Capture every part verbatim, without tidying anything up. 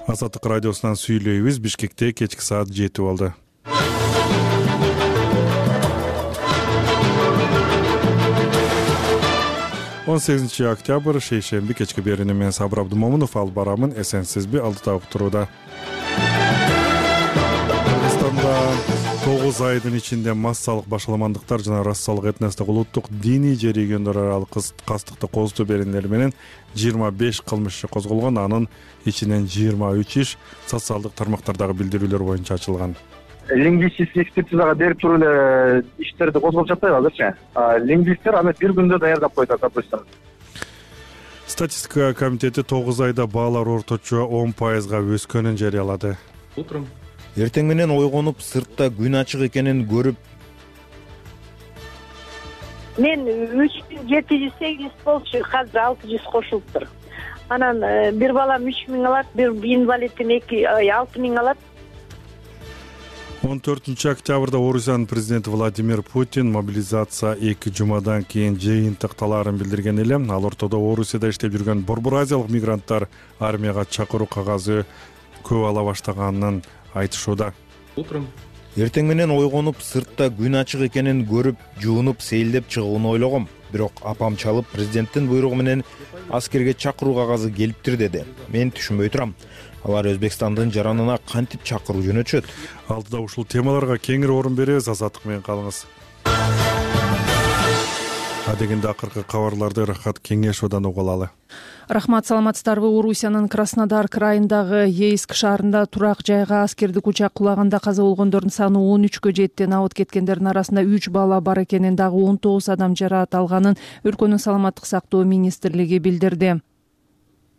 Азаттык радиосунан сүйлөйбүз. Бишкекте кечки саат жети болду. он сегизинчи октябрь шейшемби кечки берүүнү мен Сабыр Абдумомунов алып барамын. Эсенсизби? Алдыда уктурууда. Кыргызстанда тогуз айдын ичинде массалык башаламандыктар жана расалык этностук улуттук диний же региондор аралык кастыкты козутуу беренелери менен жыйырма беш кылмыш иши козголгон. Анын ичинен жыйырма үч иш социалдык тармактардагы билдирүүлөр боюнча ачылган. Лингвистик экспертизага берип туруп эле иштерди козголуп жатпайбы азырчы? Лингвисттер аны бир күндө даярдап коет, допустим. Статистика комитети тогуз айда баалар орточо он пайызга өскөнүн жарыялады. Утром Эртең менен ойгонуп, сыртта күн ачык экенин көрүп, мен үч миң жети жүз сегиз болчу, азыр алты жүз кошулуптур. Анан бир балам үч миң алат, бир инвалидим эки алты миң алат. он төртүнчү октябрда Орусиянын президенти Владимир Путин мобилизация эки жумадан кийин жыйынтыкталаарын билдирген эле. Ал ортодо Орусияда иштеп жүргөн Борбор Азиялык мигранттар армияга чакыруу кагазы көп ала баштаганын айтышууда. Утром эртең менен ойгонуп, сыртта күн ачык экенин көрүп, жуунуп, сейилдеп чыгууну ойлогом. Бирок апам чалып, президенттин буйругу менен аскерге чакыруу кагазы келиптир деди. Мен түшүнбөй турам. Алар Өзбекстандын жаранына кантип чакыруу жөнөтүшөт? Алдыда ушул темаларга кеңири орун беребиз. Азаттык менен калыңыз. Адегенде акыркы кабарларды Рахат Кеңешовдон угуп алалы. Рахмат, саламатсыздарбы? Орусиянын Краснодар крайындагы Ейск шаарында турак жайга аскердик учак кулаганда каза болгондордун саны он үчкө жетти. Абыт кеткендердин арасында үч бала бар экенин, дагы он тогуз адам жараат алганын өлкөнүн саламаттык сактоо министрлиги билдирди.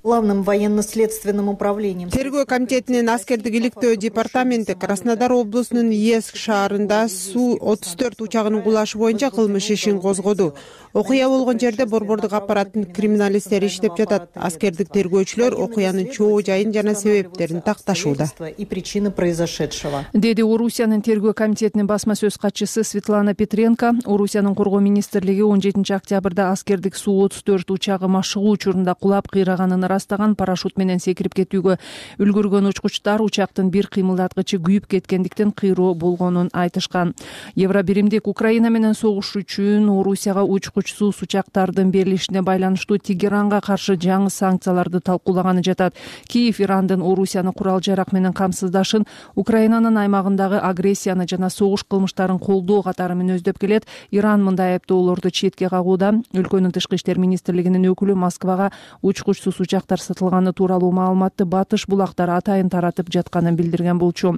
Главным военно-следственным управлением. Тергөө комитетинин аскердик иликтөө департаменти Краснодар облусунун Ейск шаарында Су отуз төрт учагынын кулашы боюнча кылмыш ишин козгоду. Окуя болгон жерде борбордук аппараттын криминалисттери иштеп жатат. Аскердик тергөөчүлөр окуянын чоо жайын жана себептерин такташууда. И причины произошедшего. Деди Орусиянын тергөө комитетинин басма сөз катчысы Светлана Петренко. Орусиянын коргоо министрлиги он жетинчи октябрда аскердик Су отуз төрт учагы машыгуу учурунда кулап кыйраганын растаган. Парашют менен секирип кетүүгө үлгүргөн учкучтар учактын бир кыймылдаткычы күйүп кеткендиктен кыйроо болгонун айтышкан. Евробиримдик Украина менен согуш үчүн Орусияга учкучсуз учактардын берилишине байланыштуу Тегеранга каршы жаңы санкцияларды талкуулаганы жатат. Киев Ирандын Орусияны курал жарак менен камсыздашын, Украинанын аймагындагы агрессияны жана согуш кылмыштарын колдоо катары мүнөздөп келет. Иран мындай айыптоолорду четке кагууда. Өлкөнүн тышкы иштер министрлигинин өкүлү Москвага учкучсуз учактар сатылганы тууралуу маалыматты батыш булактар атайын таратып жатканын билдирген болчу.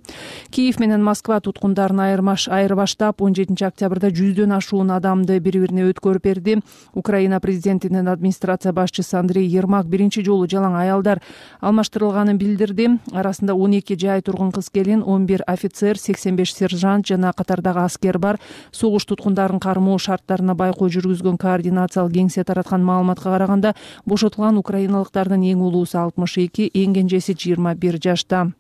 Киев менен Москва туткундарын айырмаш айырбаштап он жетинчи октябрда жүздөн ашуун адамды бири-бирине өткөрүп берди. Украина президентинин администрация башчысы Андрей Ермак биринчи жолу жалаң аялдар алмаштырылганын билдирди. Арасында он эки жай тургун кыз-келин, он бир офицер, сексен беш сержант жана катардагы аскер бар. Согуш туткундарын кармоо шарттарына байкоо жүргүзгөн координациялык кеңсе тараткан маалыматка караганда, бошотулган украиналыктардын эң улуусу алтымыш эки, эң кенжеси жыйырма бир жашта.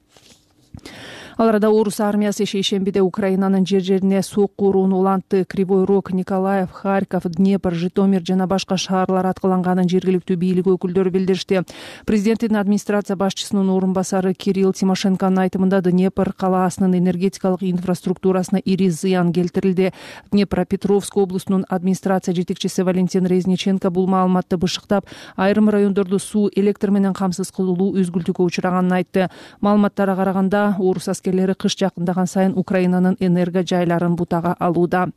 Ал арада Орус армиясы шейшембиде Украинанын жер жерине сокку урууну улантты. Кривой Рог, Николаев, Харьков, Днепр, Житомир жана башка шаарлар аткыланганын жергиликтүү бийлик өкүлдөрү билдиришти. Президенттин администрация башчысынын орун басары Кирилл Тимошенконун айтымында Днепр калаасынын энергетикалык инфраструктурасына ири зыян келтирилди. Днепропетровск облусунун администрация жетекчиси Валентин Резниченко бул маалыматты бышыктап, айрым райондорду суу, электр менен камсыз кылуу үзгүлтүүгө учураганын айтты. Маалыматтарга караганда, Орус аскерлери кыш жакындаган сайын Украинанын энерго жайларын бутага алууда.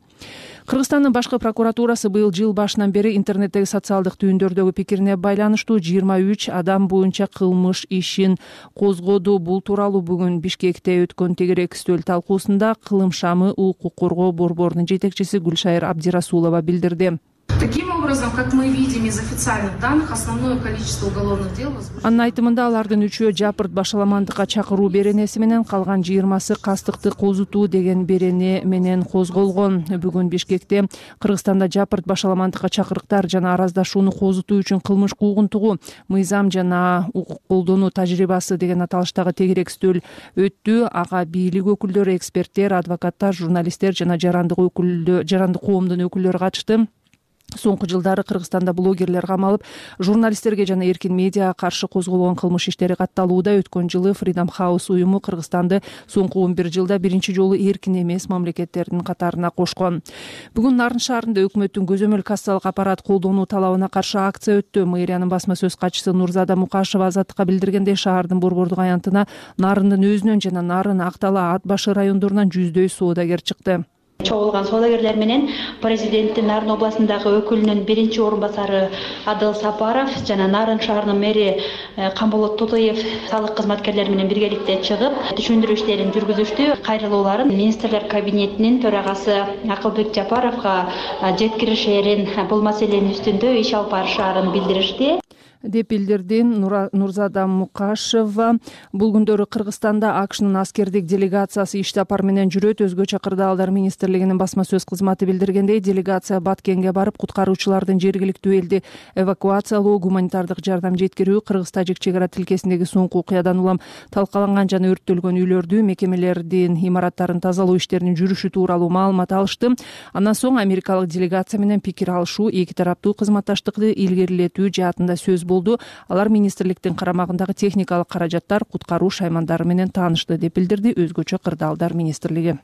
Кыргызстандын башкы прокуратурасы быйыл жыл башынан бери интернеттеги социалдык түйүндөрдөгү пикирине байланыштуу жыйырма үч адам боюнча кылмыш ишин козгоду. Бул тууралуу бүгүн Бишкекте өткөн тегерек үстөл талкуусунда Кылым шамы укук коргоо борборунун жетекчиси Гүлшайыр Абдирасулова билдирди. Таким образом, как мы видим из официальных данных, основное количество уголовных дел возбуждено. Анын айтымында алардын үчөө жапырт башаламандыкка чакыруу беренеси менен, калган жыйырмасы кастыкты козутуу деген берене менен козголгон. Бүгүн Бишкекте Кыргызстанда жапырт башаламандыкка чакырыктар жана араздашууну козутуу үчүн кылмыш куугунтугу, мыйзам жана укук колдонуу тажрыйбасы деген аталыштагы тегерек үстөл өттү. Ага бийлик өкүлдөрү, эксперттер, адвокаттар, журналисттер жана жарандык өкүлдө жарандык коомдун өкүлдөрү катышты. Соңку жылдары Кыргызстанда блогерлер камалып, журналисттерге жана эркин медиага каршы козголгон кылмыш иштери катталууда. Өткөн жылы Freedom House уюму Кыргызстанды соңку он бир жылда биринчи жолу эркин эмес мамлекеттердин катарына кошкон. Бүгүн Нарын шаарында өкмөттүн көзөмөл кассалык аппарат колдонуу талабына каршы акция өттү. Мэриянын басма сөз катчысы Нурзада Мукашева Азаттыкка билдиргендей, шаардын борбордук аянтына Нарындын өзүнөн жана Нарын, Актала, Ат башы райондорунан жүздөй соодагер чыкты. Чогулган соодагерлер менен президенттин Нарын областындагы өкүлүнүн биринчи орун басары Адыл Сапаров жана Нарын шаарынын мэри Камболот Тотоев салык кызматкерлери менен биргеликте чыгып, түшүндүрүү иштерин жүргүзүштү. Кайрылууларын министрлер кабинетинин төрагасы Акылбек Жапаровго жеткиришерин, бул маселенин үстүндө иш алып барышаарын билдиришти, деп билдирди Нурзада Мукашева. Бул күндөрү Кыргызстанда АКШнын аскердик делегациясы иш сапар менен жүрөт. Өзгөчө Кырдаалдар министрлигинин басма сөз кызматы билдиргендей, делегация Баткенге барып, куткаруучулардын жергиликтүү элди эвакуациялоо, гуманитардык жардам жеткирүү, Кыргыз-Тажик чек ара тилкесиндеги соңку окуядан улам талкаланган жана өрттөлгөн үйлөрдү, мекемелердин имараттарын тазалоо иштеринин жүрүшү тууралуу маалымат алышты. Андан соң америкалык делегация менен пикир алышуу, эки тараптуу кызматташтыкты илгерилетүү жаатында сөз болду. Алар министрликтин карамагындагы техникалык каражаттар, куткаруу шаймандары менен таанышты, деп билдирди Өзгөчө Кырдаалдар министрлиги.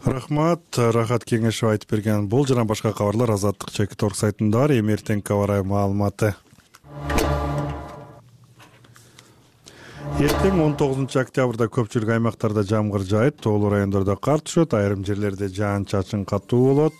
Рахмат, Рахат Кеңешов айтып берген. Бул жана башка кабарлар Азаттык чекит торг сайтында бар. Эми эртеңки аба маалыматы. Эртең он тогузунчу октябрда көпчүлүк аймактарда жамгыр жаайт, тоолуу райондордо кар түшөт, айрым жерлерде жаан-чачын катуу болот.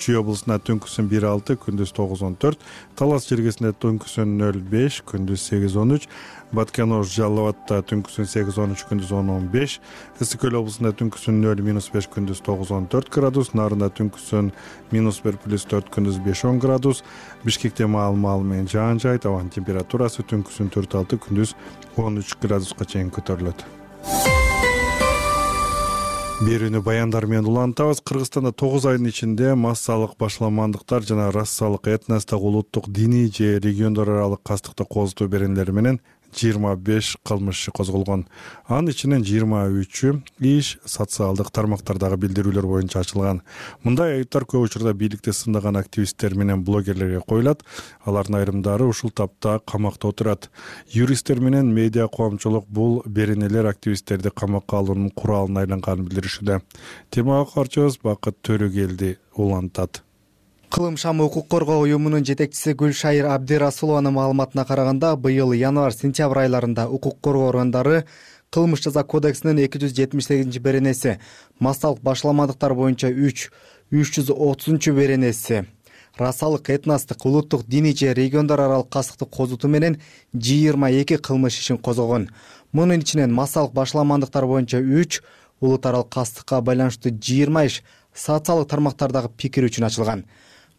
Чүй облусунда түнкүсүн бир алты, күндүз тогуз он төрт, Талас жергесинде түнкүсүн нөл беш, күндүз сегиз он үч, Баткен-Ош Жалал Абадта түнкүсүн сегиз он үч, күндүз он он беш, Ысык Көл облусунда түнкүсүн нөл минус беш, күндүз тогуз он төрт градус, Нарында түнкүсүн минус бир плюс төрт, күндүз беш он градус, Бишкекте маал-маал менен жаан жаайт, абанын температурасы түнкүсүн төрт алты, күндүз он үч градуска чейин көтөрүлөт. Берүүнү баяндар менен улантабыз. Кыргызстанда тогуз айдын ичинде массалык башаламандыктар жана расалык, этностук, улуттук, диний же региондор аралык кастыкты козутуу беренелери менен жыйырма беш кылмыш иши козголгон. Анын ичинен жыйырма үчү иш социалдык тармактардагы билдирүүлөр боюнча ачылган. Мындай айыптар көп учурда бийликти сындаган активисттер менен блогерлерге коюлат. Алардын айрымдары ушул тапта камакта отурат. Юристтер менен медиа коомчулук бул беренелер активисттерди камакка алуунун куралына айланганын билдиришүүдө. Темага карчыбыз Бакыт Төрөгелди улантат. Кылым шамы укук коргоо уюмунун жетекчиси Гүлшайыр Абдирасулованын маалыматына караганда, быйыл январь-сентябрь айларында укук коргоо органдары Кылмыш жаза кодексинин эки жүз жетимиш сегизинчи беренеси, массалык башаламандыктар боюнча үч, үч жүз отузунчу беренеси, расалык, этностук, улуттук, диний же региондор аралык кастыкты козутуу менен жыйырма эки кылмыш ишин козгогон. Мунун ичинен массалык башаламандыктар боюнча үч, улут аралык кастыкка байланыштуу жыйырма иш, социалдык тармактардагы пикир үчүн ачылган.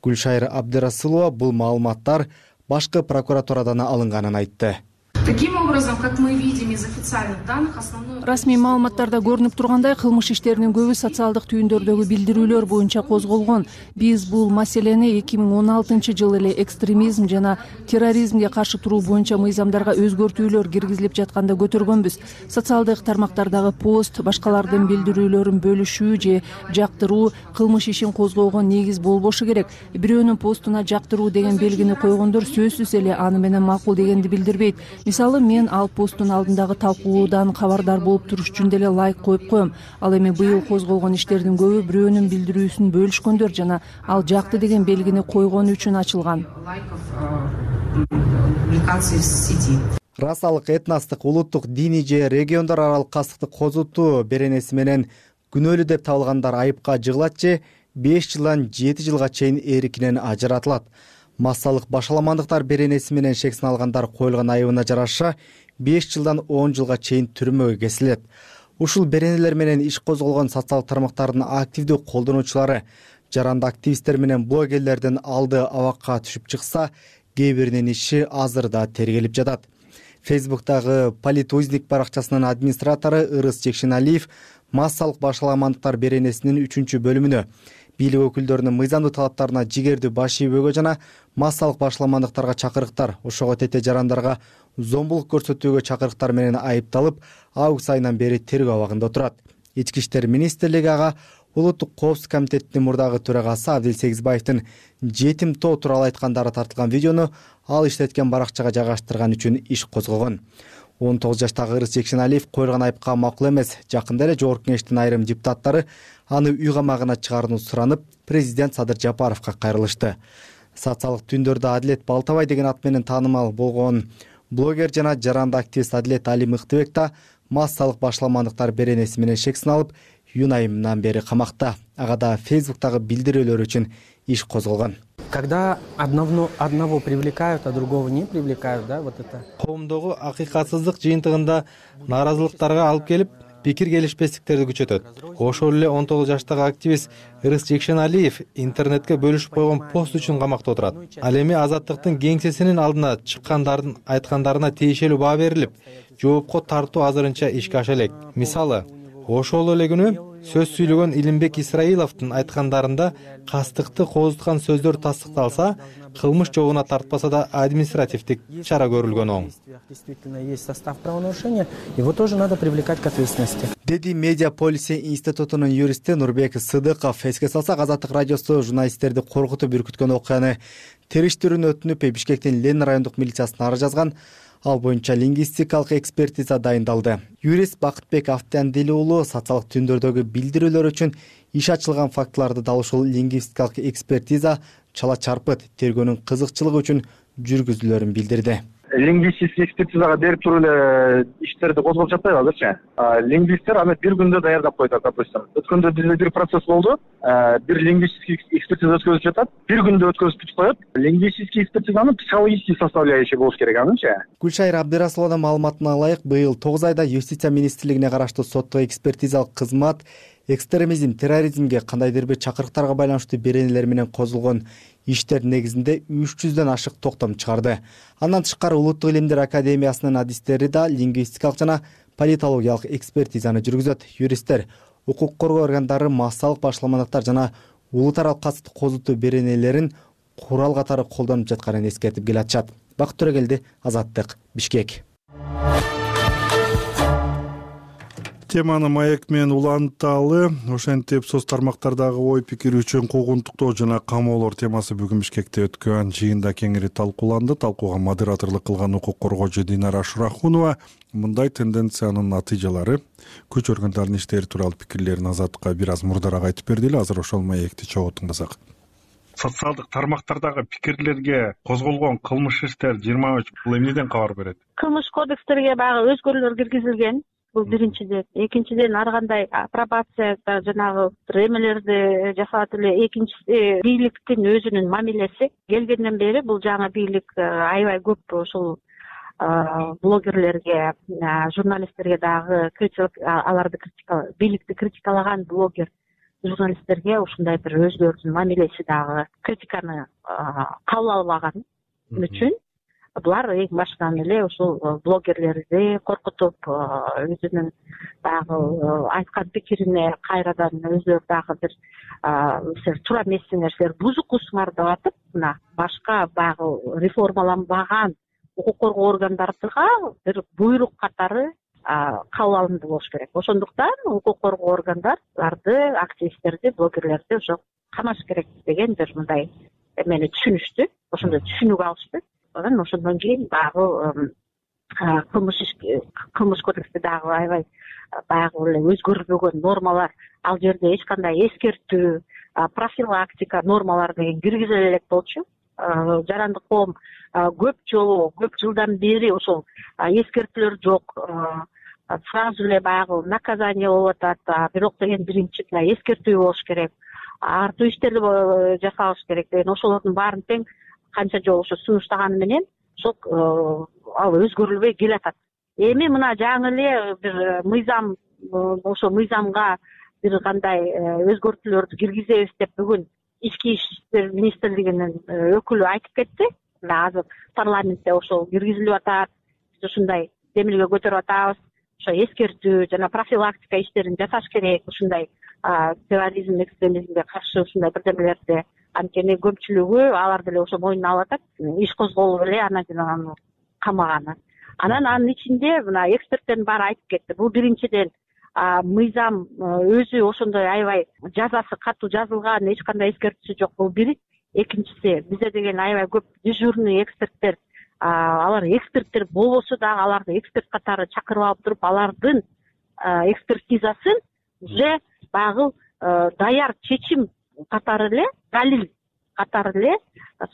Гүлшайыр Абдирасулова бул маалыматтар башкы прокуратурадан алынганын айтты. Таким образом, как мы видим из официальных данных, основной... Расмий маалыматтарда көрүнүп тургандай, кылмыш иштеринин көбү социалдык түйүндөрдөгү билдирүүлөр боюнча козголгон. Биз бул маселени эки миң он алтынчы жылы эле экстремизм жана терроризмге каршы туруу боюнча мыйзамдарга өзгөртүүлөр киргизилип жатканда көтөргөнбүз. Социалдык тармактардагы пост, башкалардын билдирүүлөрүн бөлүшүү же жактыруу кылмыш ишин козгоого негиз болбошу керек. Бирөөнүн постуна жактыруу деген белгини койгондор сөзсүз эле аны менен макул дегенди билдирбейт. Мисалы, мен ал посттун алдындагы талкуудан кабардар болуп туруш үчүн деле лайк коюп коем. Ал эми быйыл козголгон иштердин көбү бирөөнүн билдирүүсүн бөлүшкөндөр жана ал жакты деген белгини койгон үчүн ачылган. Расалык, этностук, улуттук, диний же региондор аралык кастыкты козутуу беренеси менен күнөөлүү деп табылгандар айыпка жыгылат же беш жылдан жети жылга чейин эркинен ажыратылат. Массалык башаламандыктар беренеси менен шексин алгандар коюлган айыбына жараша беш жылдан он жылга чейин түрмөгө кесилет. Ушул беренелер менен иш козголгон социалдык тармактардын активдүү колдонуучулары, жаранды активисттер менен блогерлердин алды абакка түшүп чыкса, кээ биринин иши азырда тергелип жатат. Фейсбуктагы Политузник баракчасынын администратору Ырыс Жекшеналиев массалык башаламандыктар беренесинин үчүнчү бөлүмүнө бийлик өкүлдөрүнүн мыйзамдуу талаптарына жигердүү баш ийбөөгө жана массалык башаламандыктарга чакырыктар, ошого тете жарандарга зомбулук көрсөтүүгө чакырыктар менен айыпталып, август айынан бери тергөө абагында отурат. Ички иштер министрлиги ага Улуттук коопсуздук комитетинин мурдагы төрагасы Абдил Сегизбаевдин жетим тоо тууралуу айткандары тартылган видеону ал иштеткен баракчага жайгаштырган үчүн иш козгогон. он тогуз жаштагы Ырыс Жекшеналиев коюлган айыпка макул эмес. Жакында эле Жогорку Кеңештин айрым депутаттары аны үй камагына чыгарууну суранып, президент Садыр Жапаровго кайрылышты. Социалдык түндөрдө Адилет Балтабай деген ат менен таанымал болгон блогер жана жаранды активист Адилет Али Мыктыбек да массалык башаламандыктар беренеси менен шек сыналып, июнь айынан бери камакта. Ага да Фейсбуктагы билдирүүлөр үчүн иш козголгон. Когда одного, одного привлекают, а другого не привлекают, да, вот это. Коомдогу акыйкатсыздык жыйынтыгында нааразылыктарга алып келип, пикир келишпестиктерди күчөтөт. Ошол эле он тогуз жаштагы активист Ырыс Жекшеналиев интернетке бөлүшүп койгон пост үчүн камакта отурат. Ал эми Азаттыктын кеңсесинин алдына чыккандардын айткандарына тиешелүү баа берилип, жоопко тартуу азырынча ишке аша элек. Мисалы, ошол эле күнү сөз сүйлөгөн Илимбек Исраиловдун айткандарында кастыкты кооздуткан сөздөр тастыкталса, кылмыш жообуна тартпаса да административдик чара көрүлгөн оң. Действительно есть состав правонарушения, его тоже надо привлекать к ответственности. Деди Медиа Полиси институтунун юристи Нурбек Сыдыков. Эске салсак, Азаттык радиосу журналисттерди коркутуп үркүткөн окуяны териштирүүнү өтүнүп, Бишкектин Лен райондук милициясына арыз жазган. Ал боюнча лингвистикалык экспертиза дайындалды. Юрист Бакытбек Автандили уулу социалдык түндөрдөгү билдирүүлөр үчүн иш ачылган фактыларды дал ушул лингвистикалык экспертиза чала чарпыт тергөөнүн кызыкчылыгы үчүн жүргүзүлөрүн билдирди. Лингвистик экспертизага берип туруп эле иштерди козгоп жатпайбы азырчы? Лингвисттер аны бир күндө даярдап коет, допустим. Өткөндө бизде бир процесс болду. Бир лингвистик экспертиза өткөзүп жатат. Бир күндө өткөзүп бүтүп коет. Лингвистик экспертизанын психологический составляющий болуш керек анычы. Гүлшайыр Абдырасулованын маалыматына ылайык, быйыл тогуз айда Юстиция министрлигине караштуу соттук экспертизалык кызмат экстремизм, терроризмге кандайдыр бир чакырыктарга байланыштуу беренелер менен козулгон иштер негизинде үч жүздөн ашык токтом чыгарды. Андан тышкары Улуттук илимдер академиясынын адистери да лингвистикалык жана политологиялык экспертизаны жүргүзөт. Юристтер укук коргоо органдары массалык башаламандыктар жана улут аралык кастык козутуу беренелерин курал катары колдонуп жатканын эскертип келатышат. Бакыт Төрөгелди, Азаттык, Бишкек. Теманы маек менен уланталы. Ошентип соц тармактардагы ой пикир үчүн куугунтуктоо жана камоолор темасы бүгүн Бишкекте өткөн жыйында кеңири талкууланды. Талкууга модераторлук кылган укук коргоочу Динара Шурахунова мындай тенденциянын натыйжалары, күч органдарынын иштери тууралуу пикирлерин Азаттыкка бир аз мурдараак айтып берди эле. Азыр ошол маекти чогуу тыңдасак. Социалдык тармактардагы пикирлерге козголгон кылмыш иштер жыйырма үч бул эмнеден кабар берет? Кылмыш кодекстерге баягы өзгөрүүлөр киргизилген. Бул биринчиден. Экинчиден ар кандай апробацияда жанагы эмелерди жасалат эле. Экинчиси бийликтин өзүнүн мамилеси. Келгенден бери бул жаңы бийлик аябай көп ушул блогерлерге, журналисттерге дагы критик, аларды критика, бийликти критикалаган блогер журналисттерге ушундай бир өзлөрүнүн мамилеси дагы критиканы кабыл албаган үчүн булар эң башынан эле ушул блогерлерди коркутуп, өзүнүн дагы айткан пикирине кайрадан өзүлөрү дагы бир силер туура эмессиңер, силер бузукусуңар деп атып, мына башка баягы реформаланбаган укук коргоо органдарга бир буйрук катары кабыл алынды болуш керек. Ошондуктан укук коргоо органдарды, активисттерди, блогерлерди ошо камаш керек деген бир мындай эмени түшүнүштү. Ошондой түшүнүк алышты. Анан ошондон кийин баягы кылмыш кылмыш кодексте дагы аябай баягы эле өзгөрүлбөгөн нормалар, ал жерде эч кандай эскертүү, профилактика нормалары деген киргизиле элек болчу. Жарандык коом көп жолу, көп жылдан бери ошол эскертүүлөр жок. Сразу эле баягы наказание болуп атат, бирок деген биринчи эскертүү болуш керек. Артуу иштерди жасалыш керек деген ошолордун баарын тең канча жолу ошо сунуштаганы менен ошол ал өзгөрүлбөй келатат. Эми мына жаңы эле бир мыйзам, ошо мыйзамга бир кандай өзгөртүүлөрдү киргизебиз деп бүгүн Ички иштер министрлигинин өкүлү айтып кетти. Мына азыр парламентте ошол киргизилип атат. Биз ушундай демилге көтөрүп атабыз. Ошо эскертүү жана профилактика иштерин жасаш керек. Ушундай терроризм, экстремизмге каршы ушундай бирдемелерди. Анткени көпчүлүгү алар деле ошо мойнуна алып атат. Иш козголуп эле анан аны камаганы. Анан анын ичинде мына эксперттердин баары айтып кетти. Бул биринчиден мыйзам өзү ошондой аябай жазасы катуу жазылган, эч кандай эскертүүсү жок, бул бир. Экинчиси, бизде деген аябай көп дежурный эксперттер, алар эксперттер болбосо дагы аларды эксперт катары чакырып алып туруп, алардын экспертизасын уже баягы даяр чечим катары эле, далил катары эле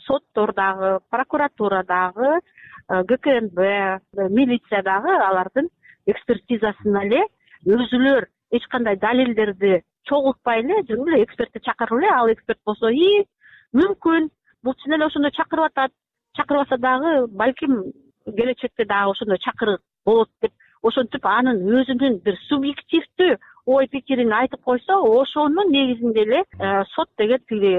соттордагы, прокуратурадагы, ГКНБ, милициядагы алардын экспертизасын эле өзүлөр эч кандай далилдерди чогултпай эле жүрүп эле экспертти чакырып эле, ал эксперт болсо и мүмкүн бул чын эле ошондой чакырып атат, чакырбаса дагы балким келечекте дагы ошондой чакырык болот деп ошентип анын өзүнүн бир субъективдүү ой пикирин айтып койсо, ошонун негизинде эле сот деген тиги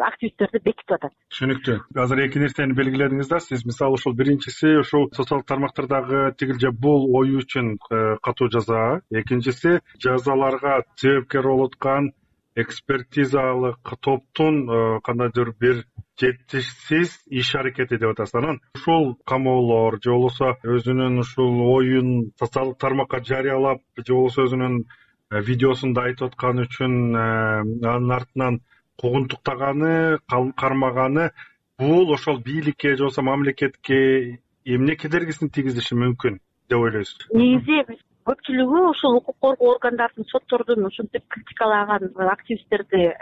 активисттерди бекитип атат. Түшүнүктүү. Азыр эки нерсени белгиледиңиз да. Сиз мисалы ушул биринчиси ушул социалдык тармактардагы тигил же бул ою үчүн катуу жаза, экинчиси жазаларга себепкер болуп аткан экспертизалык топтун кандайдыр бир жетишсиз иш аракети деп атасыз. Анан ушул камоолор же болбосо өзүнүн ушул оюн социалдык тармакка жарыялап же болбосо өзүнүн видеосунда айтып атканы үчүн анын артынан куугунтуктаганы, кармаганы бул ошол бийликке же болбосо мамлекетке эмне кедергисин тийгизиши мүмкүн деп ойлойсуз? Негизи көпчүлүгү ушул укук коргоо органдардын, соттордун ушинтип критикалаган активисттерди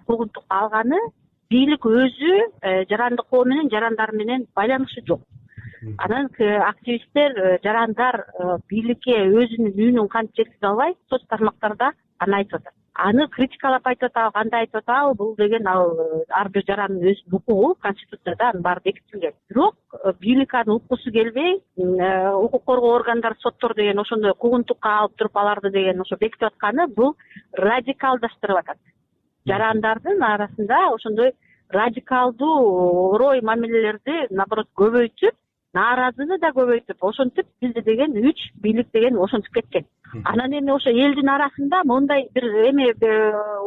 куугунтукка алганы бийлик өзү жарандык коо менен, жарандар менен байланышы жок. Анан активисттер, жарандар бийликке өзүнүн үнүн кантип жеткизе албай, соц тармактарда аны айтып атат. Аны критикалап айтып атабы, кандай айтып атабы, бул деген ал ар бир жарандын өзүнүн укугу, конституцияда анын баары бекитилген. Бирок бийлик аны уккусу келбей, укук коргоо органдары, соттор деген ошондой куугунтукка алып туруп аларды деген ошо бекитип атканы бул радикалдаштырып атат. Жарандардын арасында ошондой радикалдуу орой мамилелерди наоборот көбөйтүп, нааразыны да көбөйтүп, ошентип бизде деген үч бийлик деген ошентип кеткен. Анан эми ошо элдин арасында мындай бир эме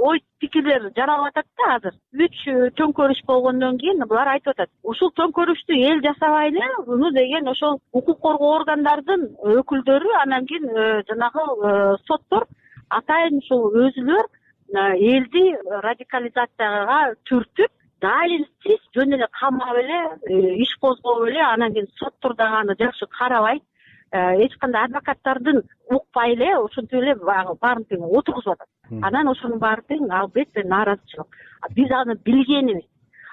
ой пикирлер жаралып атат да азыр. Үч төңкөрүш болгондон кийин булар айтып атат. Ушул төңкөрүштү эл жасабай эле, муну деген ошол укук коргоо органдардын өкүлдөрү, анан кийин жанагы соттор атайын ушул өзүлөр элди радикализацияга түртүп, далилсиз жөн эле камап эле, иш козгоп эле, анан кийин соттор дагы аны жакшы карабай, эч кандай адвокаттардын укпай эле ошентип эле баарын тең отургузуп атат. Анан ошонун баары тең албетте нааразычылык. Биз аны билгенибиз.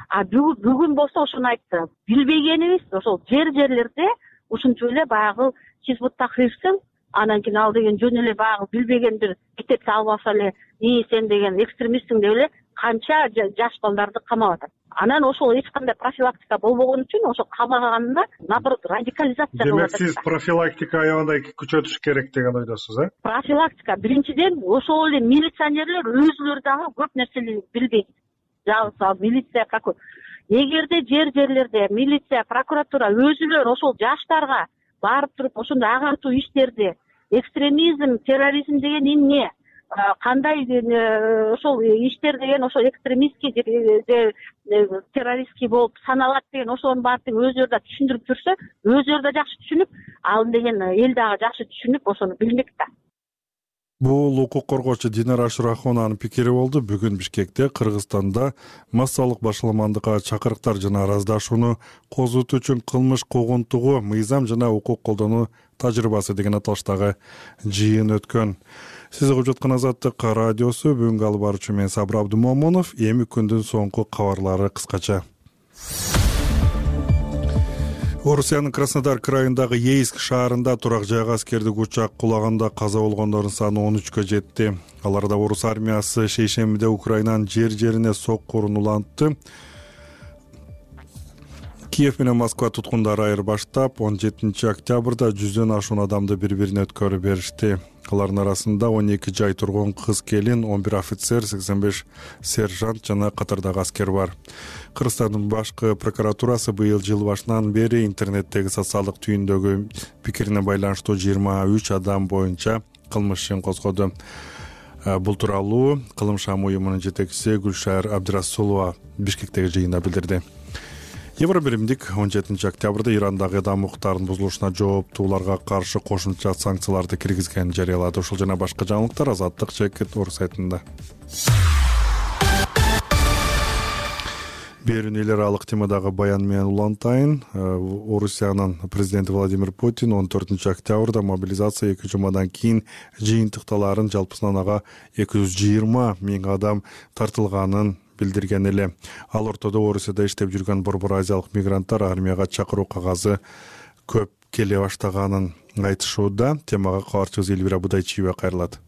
А бүгүн болсо ошону айтты. Билбегенибиз ошол жер-жерлерде ушинтип эле баягы Хизбут Тахрирсың, анан кийин ал деген жөн эле баягы билбеген бир китепти алып алса эле, "И сен деген экстремистсиң" деп эле канча жаш балдарды камап атат. Анан ошол эч кандай профилактика болбогон үчүн ошо камаганында наоборот радикализация болуп атат. Демек сиз профилактика аябай күчөтүш керек деген ойдосуз, э? Профилактика биринчиден ошол эле милиционерлер өзүлөрү дагы көп нерсени билбейт. Жалпы милиция, прокуратура. Эгерде жер-жерлерде милиция, прокуратура өзүлөр ошол жаштарга барып туруп ошондой агартуу иштерди, экстремизм, терроризм деген эмне, кандай ошол иштер деген ошол экстремистский же террористский болуп саналат деген ошонун баарын өзүлөрү да түшүндүрүп жүрсө, өзүлөрү да жакшы түшүнүп, ал деген эл дагы жакшы түшүнүп ошону билмек да. Бул укук коргоочу Динара Ашурахованын пикири болду. Бүгүн Бишкекте, Кыргызстанда массалык башаламандыкка чакырыктар жана араздашууну козготуу үчүн кылмыш куугунтугу, мыйзам жана укук колдонуу тажрыйбасы деген аталыштагы жыйын өткөн. Сиз угуп жаткан Азаттык радиосу. Бүгүнкү алып баруучу мен Сабыр Абдымомунов. Эми күндүн соңку кабарлары кыскача. Орусиянын Краснодар крайындагы Ейск шаарында турак жайга аскердик учак кулаганда каза болгондордун саны он үчкө жетти. Аларда орус армиясы шейшембиде Украинанын жер-жерине соккурун улантты. Киев менен Москва туткундары айырбаштап, он жетинчи октябрда жүздөн ашуун адамды бири-бирине өткөрүп беришти. Алардын арасында он эки жай тургун кыз-келин, он бир офицер, сексен беш сержант жана катардагы аскер бар. Кыргызстандын башкы прокуратурасы быйыл жыл башынан бери интернеттеги социалдык түйүндөгү пикирине байланыштуу жыйырма үч адам боюнча кылмыш ишин козгоду. Бул тууралуу Кылым шам уюмунун жетекчиси Гүлшар Абдырасулова Бишкектеги жыйында билдирди. Евробиримдик он жетинчи октябрда Ирандагы адам укуктарынын бузулушуна жооптууларга каршы кошумча санкцияларды киргизгенин жарыялады. Ушул жана башка жаңылыктар Азаттык Чекит Орус сайтында. Берүүнү эл аралык темадагы баян менен улантайын. Орусиянын президенти Владимир Путин он төртүнчү октябрда мобилизация эки жумадан кийин жыйынтыкталарын жалпысынан ага эки жүз жыйырма миң адам тартылганын билдирген эле. Ал ортодо Орусияда иштеп жүргөн Борбор Азиялык мигранттар армияга чакыруу кагазы көп келе баштаганын айтышууда. Темага кабарчыбыз Элвира Будайчиева кайрылат.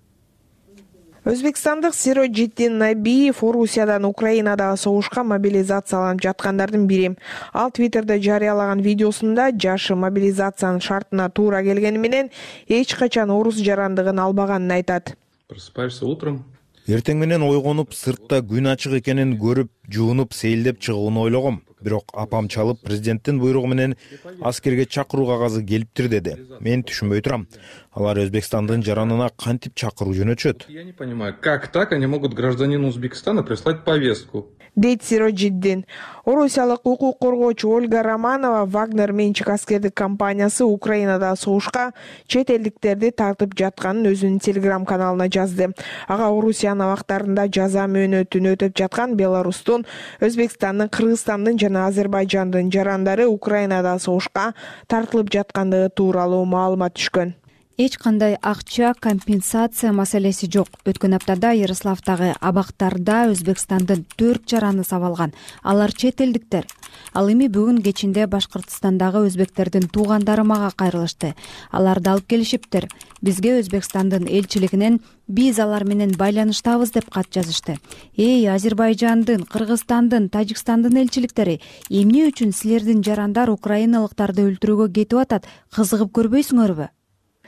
Өзбекстандык Сироджиддин Набиев Орусиядан Украинадагы согушка мобилизацияланып жаткандардын бири. Ал Твиттерде жарыялаган видеосунда жашы мобилизациянын шартына туура келгени менен эч качан орус жарандыгын албаганын айтат. Просыпаешься утром. Эртең менен ойгонуп, сыртта күн ачык экенин көрүп, жуунуп, сейилдеп чыгууну ойлогом. Бирок апам чалып, президенттин буйругу менен аскерге чакыруу кагазы келиптир деди. Мен түшүнбөй турам. Алар Өзбекстандын жаранына кантип чакыруу жөнөтүшөт? Я не понимаю, как так они могут гражданину Узбекистана прислать повестку? Дейт Сироджиддин. Орусиялык укук коргоочу Ольга Романова Вагнер менчик аскердик компаниясы Украинадагы согушка чет элдиктерди тартып жатканын өзүнүн телеграм каналына жазды. Ага Орусиянын абактарында жаза мөөнөтүн өтөп жаткан Беларустун, Өзбекстандын, Кыргызстандын жана Азербайжандын жарандары Украинадагы согушка тартылып жаткандыгы тууралуу маалымат түшкөн. Эч кандай акча компенсация маселеси жок. Өткөн аптада Ярославдагы абактарда Өзбекстандын төрт жараны сабалган. Алар чет элдиктер. Ал эми бүгүн кечинде Башкыртстандагы өзбектердин туугандары мага кайрылышты. Аларды алып келишиптир. Бизге Өзбекстандын элчилигинен биз алар менен байланыштабыз деп кат жазышты. Эй, Азербайжандын, Кыргызстандын, Тажикстандын элчиликтери, эмне үчүн силердин жарандар украиналыктарды өлтүрүүгө кетип атат? Кызыгып көрбөйсүңөрбү?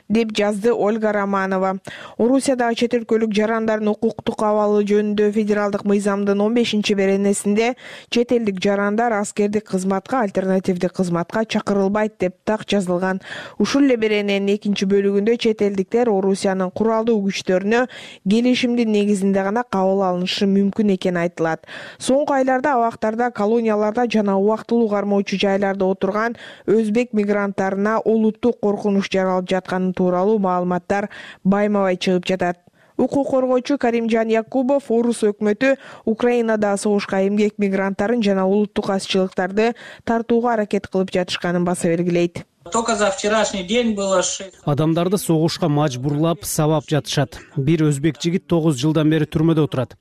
Деп жазды Ольга Романова. Орусиядагы чет өлкөлүк жарандардын укуктук абалы жөнүндө федералдык мыйзамдын он бешинчи беренесинде чет элдик жарандар аскердик кызматка, альтернативдик кызматка чакырылбайт деп так жазылган. Ушул эле берененин экинчи бөлүгүндө чет элдиктер Орусиянын куралдуу күчтөрүнө келишимдин негизинде гана кабыл алынышы мүмкүн экени айтылат. Соңку айларда абактарда, колонияларда жана убактылуу кармоочу жайларда отурган өзбек мигранттарына олуттук коркунуч жаралып жатканын тууралуу маалыматтар байма-бай чыгып жатат. Укук коргоочу Каримжан Якубов Орус өкмөтү Украинадагы согушка эмгек мигранттарын жана улуттук азчылыктарды тартууга аракет кылып жатышканын баса белгилейт. Только за вчерашний день было шесть. Адамдарды согушка мажбурлап, сабап жатышат. Бир өзбек жигит тогуз жылдан бери түрмөдө отурат.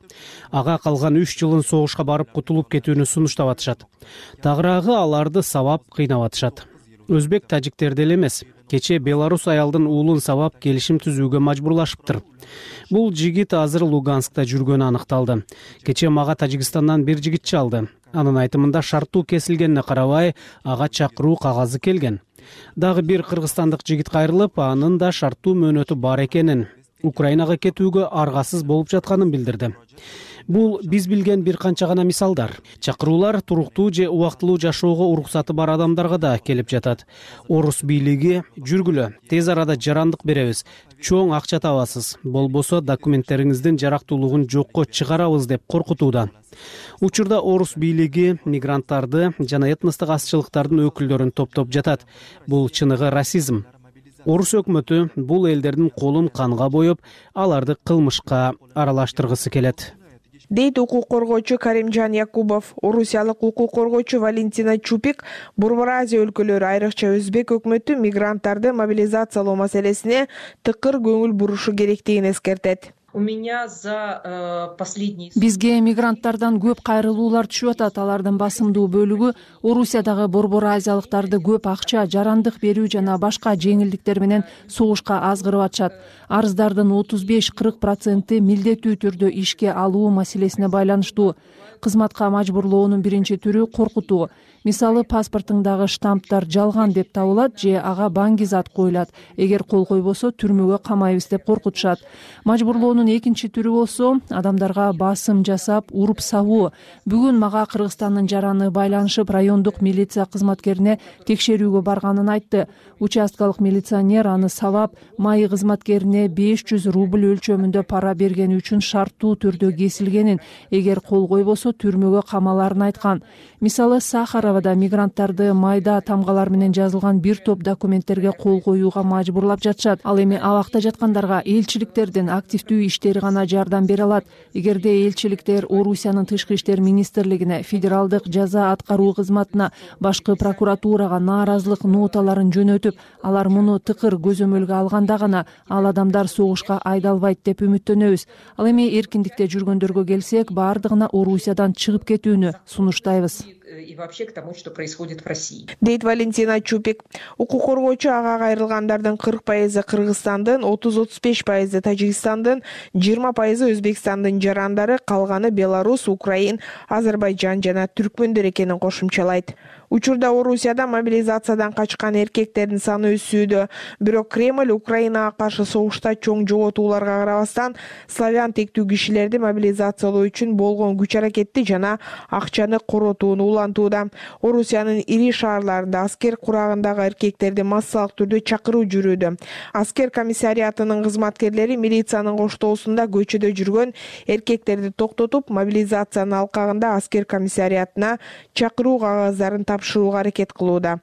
Ага калган үч жылын согушка барып кутулуп кетүүнү сунуштап атышат. Тагыраагы аларды сабап кыйнап атышат. Өзбек тажиктерди эле эмес, кече Беларус аялдын уулун сабап келишим түзүүгө мажбурлашыптыр. Бул жигит азыр Луганскта жүргөнү аныкталды. Кече мага Тажикстандан бир жигит чалды. Анын айтымында шарттуу кесилгенине карабай, ага чакыруу кагазы келген. Дагы бир кыргызстандык жигит кайрылып, анын да шарттуу мөөнөтү бар экенин, Украинага кетүүгө аргасыз болуп жатканын билдирди. Бул биз билген бир канча гана мисалдар. Чакыруулар туруктуу же убактылуу жашоого уруксаты бар адамдарга да келип жатат. Орус бийлиги жүргүлө, тез арада жарандык беребиз, чоң акча табасыз, болбосо документтериңиздин жарактуулугун жокко чыгарабыз деп коркутууда. Учурда Орус бийлиги мигранттарды жана этностук азчылыктардын өкүлдөрүн топтоп жатат. Бул чыныгы расизм. Орус өкмөтү бул элдердин колун канга боеп, аларды кылмышка аралаштыргысы келет. Дейт укук коргоочу Каримжан Якубов. Орусиялык укук коргоочу Валентина Чупик Борбор Азия өлкөлөрү, айрыкча Өзбек өкмөтү мигранттарды мобилизациялоо маселесине тыкыр көңүл бурушу керектигин эскертет. У меня за э, последний... Бизге мигранттардан көп кайрылуулар түшүп атат. Алардын басымдуу бөлүгү Орусиядагы Борбор Азиялыктарды көп акча, жарандык берүү жана башка жеңилдиктер менен согушка азгырып атышат. Арыздардын отуз беш кырк проценти милдеттүү түрдө ишке алуу маселесине байланыштуу. Кызматка мажбурлоонун биринчи түрү коркутуу. Мисалы, паспортуңдагы штамптар жалган деп табылат же ага баңги зат коюлат. Эгер кол койбосо түрмөгө камайбыз деп коркутушат. Мажбурлоонун коргоонун экинчи түрү болсо адамдарга басым жасап уруп сабуу. Бүгүн мага Кыргызстандын жараны байланышып райондук милиция кызматкерине текшерүүгө барганын айтты. Участкалык милиционер аны сабап, майы кызматкерине беш жүз рубль өлчөмүндө пара бергени үчүн шарттуу түрдө кесилгенин, эгер кол койбосо түрмөгө камаларын айткан. Мисалы, Сахаровада мигранттарды майда тамгалар менен жазылган бир топ документтерге кол коюуга мажбурлап жатышат. Ал эми абакта жаткандарга элчиликтердин активдүү иштери гана жардам бере алат. Эгерде элчиликтер Орусиянын тышкы иштер министрлигине, федералдык жаза аткаруу кызматына, башкы прокуратурага нааразылык ноталарын жөнөтүп, алар муну тыкыр көзөмөлгө алганда гана ал адамдар согушка айдалбайт деп үмүттөнөбүз. Ал эми эркиндикте жүргөндөргө келсек, баардыгына Орусиядан чыгып кетүүнү сунуштайбыз. И вообще к тому, что происходит в России. Дейт Валентина Чупик. Укук коргоочу ага кайрылгандардын кырк пайызы Кыргызстандын, отуз отуз беш пайызы Тажикстандын, жыйырма пайызы Өзбекстандын жарандары, калганы Беларус, Украин, Азербайжан жана түркмөндөр экенин кошумчалайт. Учурда Орусияда мобилизациядан качкан эркектердин саны өсүүдө. Бирок Кремль Украинага каршы согушта чоң жоготууларга карабастан славян тектүү кишилерди мобилизациялоо үчүн болгон күч аракетти жана акчаны коротууну улантууда. Орусиянын ири шаарларында аскер курагындагы эркектерди массалык түрдө чакыруу жүрүүдө. Аскер комиссариатынын кызматкерлери милициянын коштоосунда көчөдө жүргөн эркектерди токтотуп, мобилизациянын алкагында аскер комиссариатына чакыруу кагаздарын тапшырууга аракет кылууда.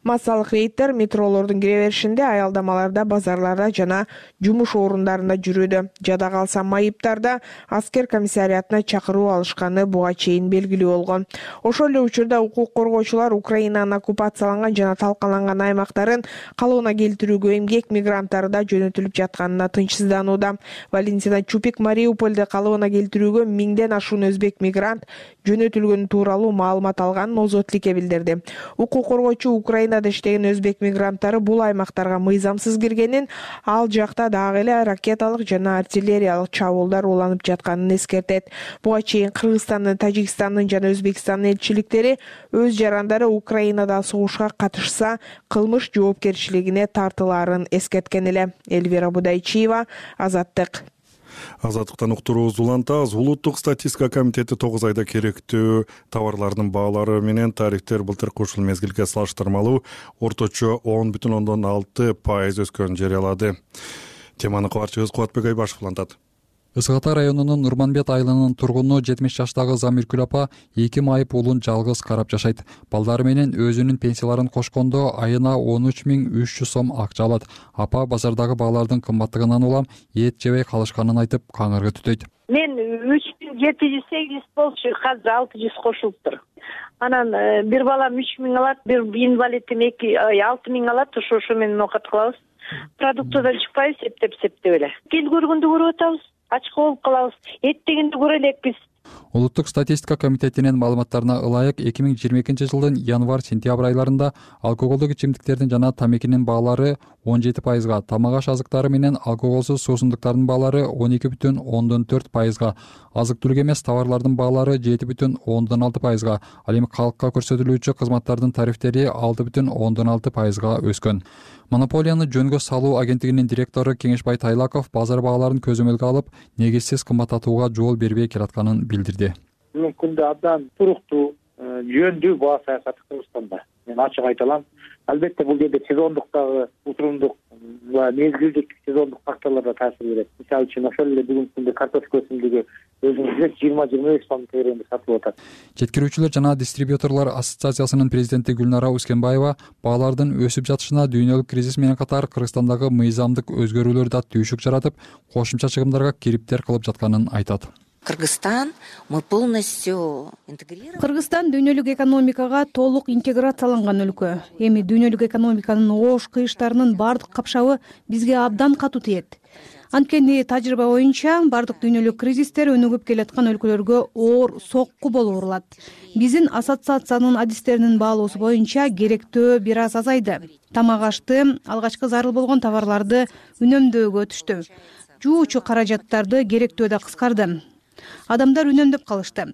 Массалык рейдтер метролордун кире беришинде, аялдамаларда, базарларда жана жумуш орундарында жүрүүдө. Жада калса майыптарда аскер комиссариатына чакыруу алышканы буга чейин белгилүү болгон. Ошол эле учурда укук коргоочулар Украинанын оккупацияланган жана талкаланган аймактарын калыбына келтирүүгө эмгек мигранттары да жөнөтүлүп жатканына тынчсызданууда. Валентина Чупик Мариупольде калыбына келтирүүгө миңден ашуун өзбек мигрант жөнөтүлгөнү тууралуу маалымат алганын Озотликке билдирди. Укук коргоочу Украинада иштеген өзбек мигранттары бул аймактарга мыйзамсыз киргенин, ал жакта дагы эле ракеталык жана артиллериялык чабуулдар уланып жатканын эскертет. Буга чейин Кыргызстандын, Тажикстандын жана Өзбекстандын элчиликтери өз жарандары Украинада согушка катышса, кылмыш жоопкерчилигине тартылаарын эскерткен эле. Эльвира Будайчиева, Азаттык. Азаттыктан уктуруубуз улантабыз. Улуттук статистика комитети тогуз айда керектүү товарлардын баалары менен тарифтер былтыркы ушул мезгилге салыштырмалуу орточо он бүтүн ондон алты пайыз өскөнүн жарыялады. Теманы кабарчыбыз Кубатбек Айбашев улантат. Ысык Ата районунун Нурманбет айылынын тургуну жетимиш жаштагы Замиркүл апа эки майып уулун жалгыз карап жашайт. Балдары менен өзүнүн пенсияларын кошкондо айына он үч миң үч жүз сом акча алат. Апа базардагы баалардын кымбаттыгынан улам эт жебей калышканын айтып каңырга түтөйт. Мен үч миң жети жүз сегиз болчу, азыр алты жүз кошулуптур. Анан бир балам үч миң алат, бир инвалидим эки алты миң алат, ошо ошо менен окат кылабыз. Продуктыдан чыкпайбыз, септеп септеп эле. Кел көргөндө көрүп атабыз. Ачка болуп калабыз. Эт дегенди көрө элекпиз. Улуттук статистика комитетинин маалыматтарына ылайык эки миң жыйырма экинчи жылдын январь-сентябрь айларында алкоголдук ичимдиктердин жана тамекинин баалары он жети пайызга, тамак аш азыктары менен алкоголсуз суусундуктардын баалары он эки бүтүн ондон төрт пайызга, азык-түлүк эмес товарлардын баалары жети бүтүн ондон алты пайызга, ал эми калкка көрсөтүлүүчү кызматтардын тарифтери алты бүтүн ондон алты пайызга өскөн. Монополияны жөнгө салуу агенттигинин директору Кеңешбай Тайлаков базар бааларын көзөмөлгө алып, негизсиз кымбаттатууга жол бербей келатканын билдирди. Бүгүнкү күндө абдан туруктуу, жөндүү баа саясаты Кыргызстанда. Мен ачык айта алам. Албетте бул жерде сезондуктагы утурумдук ва мезгилдик сезондук факторлор да таасир берет. Мисалы үчүн ошол эле бүгүнкү күндө картофел өсүмдүгү өзүңүз билесиз жыйырма жыйырма беш сом тегерегинде сатылып атат. Жеткирүүчүлөр жана дистрибьюторлор ассоциациясынын президенти Гүлнара Ускенбаева баалардын өсүп жатышына дүйнөлүк кризис менен катар Кыргызстандагы мыйзамдык өзгөрүүлөр да түйшүк жаратып, кошумча чыгымдарга кириптер кылып жатканын айтат. Кыргызстан мы полностью интегрированы. Кыргызстан дүйнөлүк экономикага толук интеграцияланган өлкө. Эми дүйнөлүк экономиканын оош кыйыштарынын бардык капшабы бизге абдан катуу тиет. Анткени тажрыйба боюнча бардык дүйнөлүк кризистер өнүгүп келаткан өлкөлөргө оор сокку болуп урулат. Биздин ассоциациянын адистеринин баалоосу боюнча керектөө бир аз азайды. Тамак ашты, алгачкы зарыл болгон товарларды үнөмдөөгө өтүштү. Жуучу каражаттарды керектөө да кыскарды. Адамдар үнөмдөп калышты.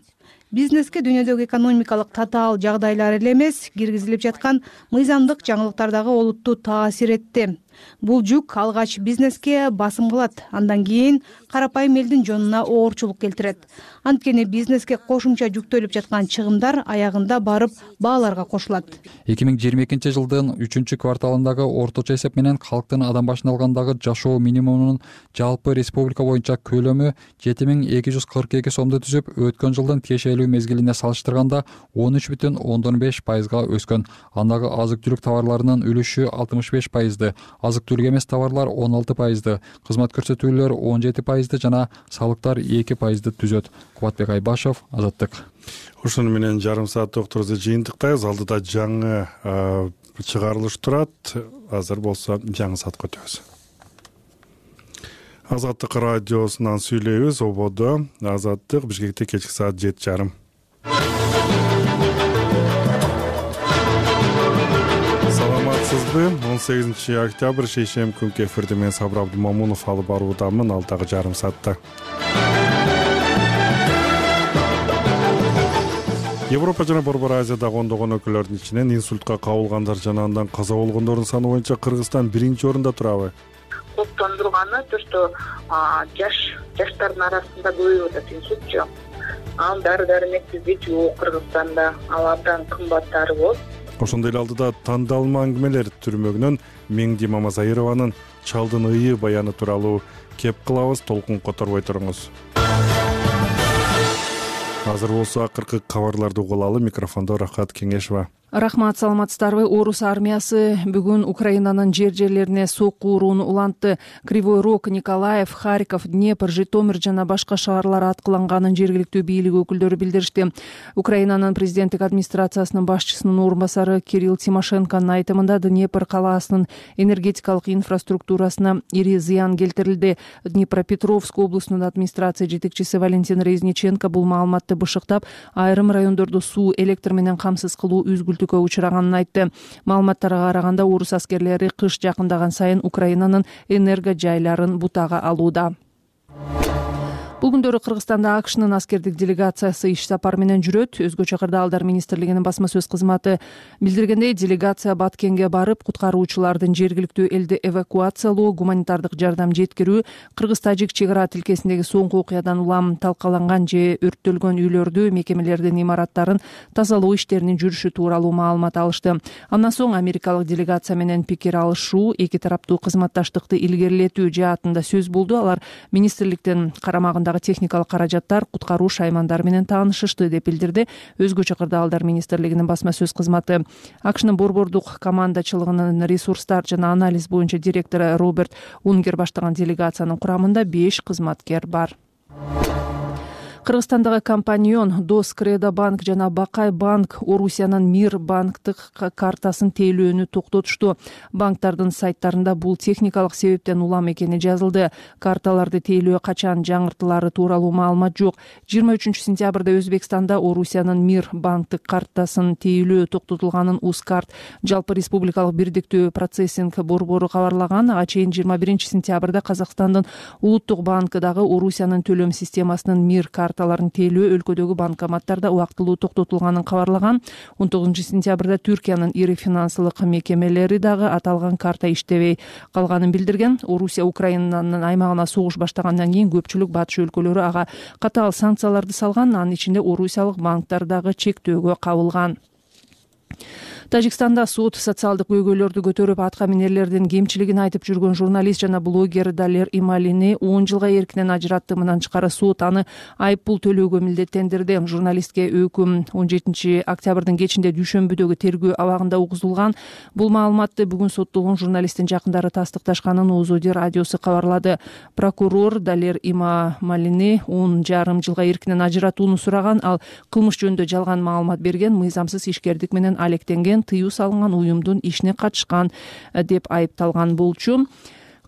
Бизнеске дүйнөдөгү экономикалык татаал жагдайлар эле эмес, киргизилип жаткан мыйзамдык жаңылыктар дагы олуттуу таасир этти. бул жүк алгач бизнеске басым кылат, андан кийин карапайым элдин жонуна оорчулук келтирет. Анткени бизнеске кошумча жүктөлүп жаткан чыгымдар аягында барып бааларга кошулат. эки миң жыйырма экинчи жылдын үчүнчү кварталындагы орточо эсеп менен калктын адам башына алгандагы жашоо минимумунун жалпы республика боюнча көлөмү жети миң эки жүз кырк эки сомду түзүп, өткөн жылдын тиешелүү мезгилине салыштырганда он үч бүтүн ондон беш пайызга өскөн. Андагы азык-түлүк товарларынын үлүшү алтымыш беш пайызды, азык-түлүк эмес товарлар он алты пайызды, кызмат көрсөтүүлөр он жети пайызды жана салыктар эки пайызды түзөт. Кубатбек Айбашев, Азаттык. Ушуну менен жарым сааттык турду жыйынтыктайбыз. Алдыда жаңы чыгарылыш турат. Азыр болсо жаңы саатка өтөбүз. Азаттык радиосунан сүйлөйбүз. Ободо Азаттык, Бишкекте кечки саат жети жарым. Саламатсызбы? он сегизинчи октябрь шейшемби күнкү эфирде мен Сабыр Абдумамунов алып баруудамын. Алдагы жарым саатта Европа жана Борбор Азиядагы ондогон өлкөлөрдүн ичинен инсультка кабылгандар жана андан каза болгондордун саны боюнча Кыргызстан биринчи орунда турабы? Коптондурганы то, что жаш жаштардын арасында көбөйүп атат инсультчу. Ал дары-дармексиздик жок Кыргызстанда, ал абдан кымбаттары болот. Ошондой эле алдыда тандалма аңгемелер түрмөгүнөн Меңди Мамасайырованын Чалдын ыйы баяны тууралуу кеп кылабыз, толкун которбой туруңуз. Азыр болсо акыркы кабарларды угулалы. Микрофондо Рахат Кеңешова. Рахмат, саламатсыздарбы? Орус армиясы бүгүн Украинанын жер жерлерине сокку урууну улантты. Кривой Рог, Николаев, Харьков, Днепр, Житомир жана башка шаарлар аткыланганын жергиликтүү бийлик өкүлдөрү билдиришти. Украинанын президенттик администрациясынын башчысынын орун басары Кирилл Тимошенконун айтымында Днепр калаасынын энергетикалык инфраструктурасына ири зыян келтирилди. Днепропетровск облустунун администрация жетекчиси Валентин Резниченко бул маалыматты бышыктап, айрым райондорду суу, электр менен камсыз кылуу үзгүлтүккө учураганын айтты. Маалыматтарга караганда орус аскерлери кыш жакындаган сайын Украинанын энерго жайларын бутага алууда. Бул күндөрү Кыргызстанда АКШнын аскердик делегациясы иш сапар менен жүрөт. Өзгөчө Кырдаалдар министрлигинин басма сөз кызматы билдиргендей, делегация Баткенге барып, куткаруучулардын жергиликтүү элди эвакуациялоо, гуманитардык жардам жеткирүү, кыргыз-тажик чек ара тилкесиндеги соңку окуядан улам талкаланган же өрттөлгөн үйлөрдү, мекемелердин имараттарын тазалоо иштеринин жүрүшү тууралуу маалымат алышты. Андан соң америкалык делегация менен пикир алышуу, эки тараптуу кызматташтыкты илгерилетүү жаатында сөз болду. Алар министрликтин карамагында техникалык каражаттар, куткаруу шаймандары менен таанышышты деп билдирди Өзгөчө Кырдаалдар министрлигинин басма сөз кызматы. АКШнын борбордук командачылыгынын ресурстар жана анализ боюнча директору Роберт Унгер баштаган делегациянын курамында беш кызматкер бар. Кыргызстандагы компаньон Дос Кредо банк жана Бакай банк Орусиянын Мир банктык картасын тейлөөнү токтотушту. Банктардын сайттарында бул техникалык себептен улам экени жазылды. Карталарды тейлөө качан жаңыртылары тууралуу маалымат жок. жыйырма үчүнчү сентябрда Өзбекстанда Орусиянын Мир банктык картасын тейлөө токтотулганын Ускарт жалпы республикалык бирдиктүү процессинг борбору кабарлаган. Ага чейин жыйырма биринчи сентябрда Казакстандын Улуттук банкы дагы Орусиянын төлөм системасынын Мир карт карталарын тейлөө өлкөдөгү банкоматтарда убактылуу токтотулганын кабарлаган. он тогузунчу сентябрда Түркиянын ири финансылык мекемелери дагы аталган карта иштебей калганын билдирген. Орусия Украинанын аймагына согуш баштагандан кийин көпчүлүк батыш өлкөлөрү ага катаал санкцияларды салган, анын ичинде орусиялык банктар дагы чектөөгө кабылган. Тажикстанда сот социалдык көйгөйлөрдү көтөрүп, атка минерлердин кемчилигин айтып жүргөн журналист жана блогер Далер Ималини он жылга эркинен ажыратты. Мындан тышкары сот аны айыппул төлөөгө милдеттендирди. Журналистке өкүм он жетинчи октябрдын кечинде Дүйшөмбүдөгү тергөө абагында угузулган. Бул маалыматты бүгүн соттолгон журналисттин жакындары тастыкташканын Озоди радиосу кабарлады. Прокурор Далер Ималини он жарым жылга эркинен ажыратууну сураган, ал кылмыш жөнүндө жалган маалымат берген, мыйзамсыз ишкердик менен алектенген, тыюу салынган уюмдун ишине катышкан деп айыпталган болчу.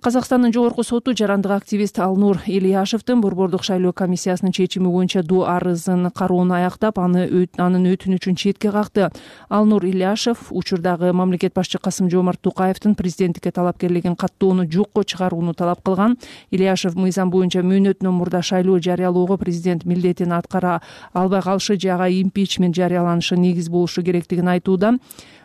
Казакстандын жогорку соту жарандык активист Алнур Ильяшевдин борбордук шайлоо комиссиясынын чечими боюнча доо арызын кароону аяктап, аны анын өтүнүчүн четке какты. Алнур Ильяшев учурдагы мамлекет башчы Касым-Жомарт Токаевдин президенттикке талапкерлигин каттоону жокко чыгарууну талап кылган. Ильяшев мыйзам боюнча мөөнөтүнөн мурда шайлоо жарыялоого президент милдетин аткара албай калышы же ага импичмент жарыяланышы негиз болушу керектигин айтууда.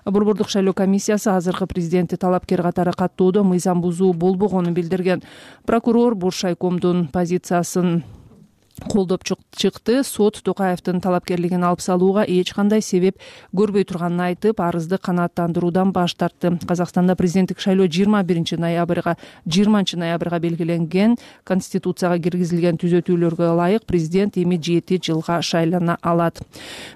Борбордук шайлоо комиссиясы азыркы президентти талапкер катары каттоодо мыйзам бузуу болбогонун билдирген. Прокурор Буршайкомдун позициясын колдоп чыкты. Сот Токаевдин талапкерлигин алып салууга эч кандай себеп көрбөй турганын айтып, арызды канааттандыруудан баш тартты. Казакстанда президенттик шайлоо жыйырма биринчи ноябрга жыйырманчы ноябрга белгиленген. Конституцияга киргизилген түзөтүүлөргө ылайык президент эми жети жылга шайлана алат.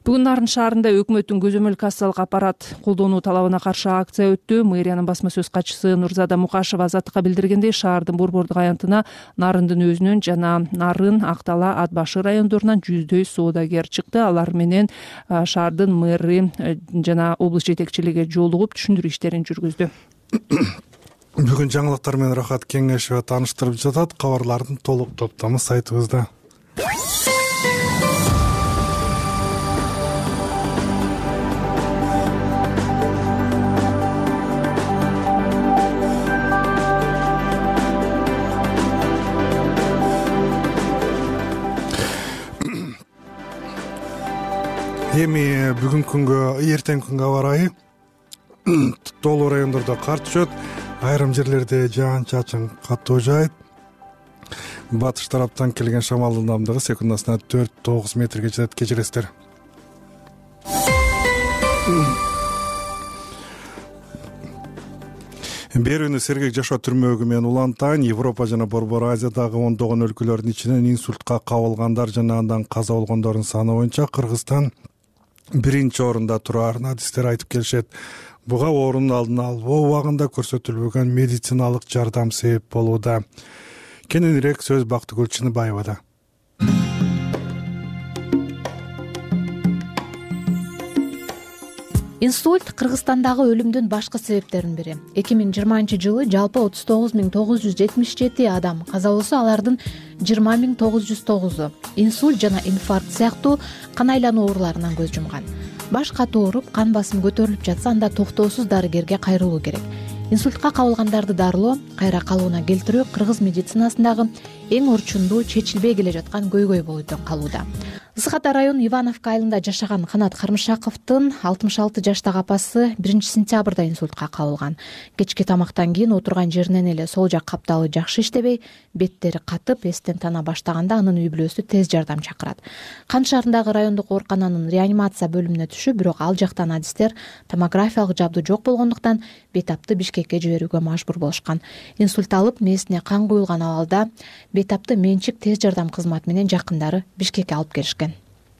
Бүгүн Нарын шаарында өкмөттүн көзөмөл кассалык аппарат колдонуу талабына каршы акция өттү. Мэриянын басма сөз катчысы Нурзада Мукашева Азаттыкка билдиргендей, шаардын борбордук аянтына Нарындын өзүнөн жана Нарын, Актала, Ат Башы райондорунан жүздөй соодагер чыкты. Алар менен шаардын мэри жана облус жетекчилиги жолугуп түшүндүрүү иштерин жүргүздү. Бүгүн жаңылыктар менен Рахат Кеңешова тааныштырып жатат. Кабарлардын толук топтому сайтыбызда. Эми бүгүнкү күнгө, эртеңки күнгө аба ырайы тоолуу райондордо кар түшөт, айрым жерлерде жаан-чачын катуу жаайт. Батыш тараптан келген шамалдын ылдамдыгы секундасына төрт тогуз метрге жетет. Кечиресиздер. Берүүнү сергек жашоо түрмөгү менен улантайын. Европа жана Борбор Азиядагы ондогон өлкөлөрдүн ичинен инсультка кабылгандар жана андан каза болгондордун саны боюнча Кыргызстан биринчи орунда турарын адистер айтып келишет. Буга оорунун алдын алуу убагында көрсөтүлбөгөн медициналык жардам себеп болууда. Кененирээк сөз Бактыгүл Чыныбаевада. Инсульт Кыргызстандагы өлүмдүн башкы себептеринин бири. эки миң жыйырманчы жылы жалпы отуз тогуз миң тогуз жүз жетимиш жети адам каза болсо, алардын жыйырма миң тогуз жүз тогузу инсульт жана инфаркт сыяктуу кан айлануу ооруларынан көз жумган. Баш катуу ооруп, кан басымы көтөрүлүп жатса, анда токтоосуз дарыгерге кайрылуу керек. Инсультка кабылгандарды дарылоо, кайра калууна келтирүү кыргыз медицинасындагы эң орчундуу, чечилбей келе жаткан көйгөй болуп калууда. Ысык Ата району Ивановка айылында жашаган Канат Кармышаковдун алтымыш алты жаштагы апасы биринчи сентябрда инсультка кабылган. Кечки тамактан кийин отурган жеринен эле сол жак капталы жакшы иштебей, беттери катып, эстен тана баштаганда анын үй бүлөсү тез жардам чакырат. Кан шаарындагы райондук оорукананын реанимация бөлүмүнө түшүп, бирок ал жактан адистер томографиялык жабдуу жок болгондуктан бейтапты Бишкекке жиберүүгө мажбур болушкан. Инсульт алып, мээсине кан куюлган абалда бейтапты менчик тез жардам кызматы менен жакындары Бишкекке алып келишкен.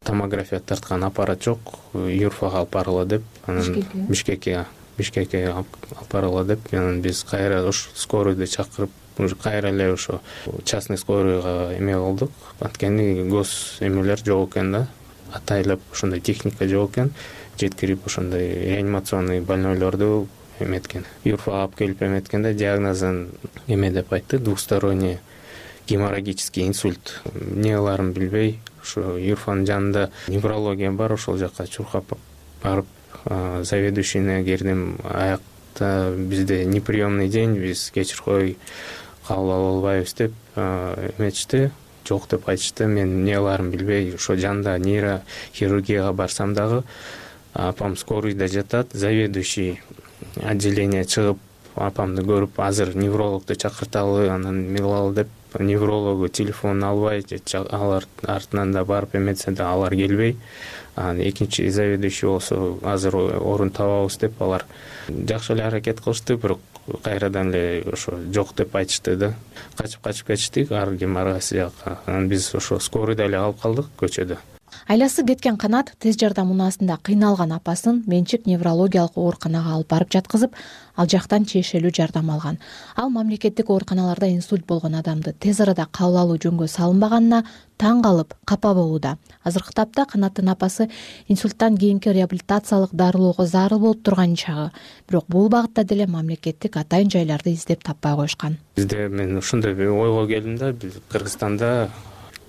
Томография тарткан аппарат жок, Юрфага алып баргыла деп, анан Бишкекке Бишкекке алып баргыла деп, анан биз кайра уш скоройду чакырып, уже кайра эле ошо частный скоройго эме кылдык. Анткени гос эмелер жок экен да, атайлап ошондой техника жок экен. Жеткирип ошондой реанимационный больнойлорду эметкен. Юрфага алып келип эметкенде диагнозун эме деп айтты, двусторонний геморрагический инсульт. Эмне кыларын билбей, ошо Юрфанын жанында неврология бар, ошол жака чуркап барып, заведующийне кирдим. Аякта бизде неприемный день, биз кечир кой, кабыл ала албайбыз деп эметишти. Жок деп айтышты. Мен эмне кыларын билбей, ошо жанында нейрохирургияга барсам дагы апам скорыйда жатат, заведующий отделение чыгып апамды көрүп, азыр неврологду чакырталы, анан эме кылалы деп, неврологу телефонун албай, алар артынан да барып эметсе да алар келбей, анан экинчи заведующий болсо азыр орун табабыз деп, алар жакшы эле аракет кылышты, бирок кайрадан эле ошо жок деп айтышты да. Качып-качып кетиштик ар ким ар кайсы жакка. Анан биз ошо скорыйда эле калып калдык көчөдө. Айласы кеткен Канат тез жардам унаасында кыйналган апасын менчик неврологиялык ооруканага алып барып жаткызып, ал жактан тиешелүү жардам алган. Ал мамлекеттик ооруканаларда инсульт болгон адамды тез арада кабыл алуу жөнгө салынбаганына таң калып, капа болууда. Азыркы тапта Канаттын апасы инсульттан кийинки реабилитациялык дарылоого зарыл болуп турган чагы. Бирок бул багытта деле мамлекеттик атайын жайларды издеп таппай коюшкан. Бизде мен ушундай ойго келдим да, биз Кыргызстанда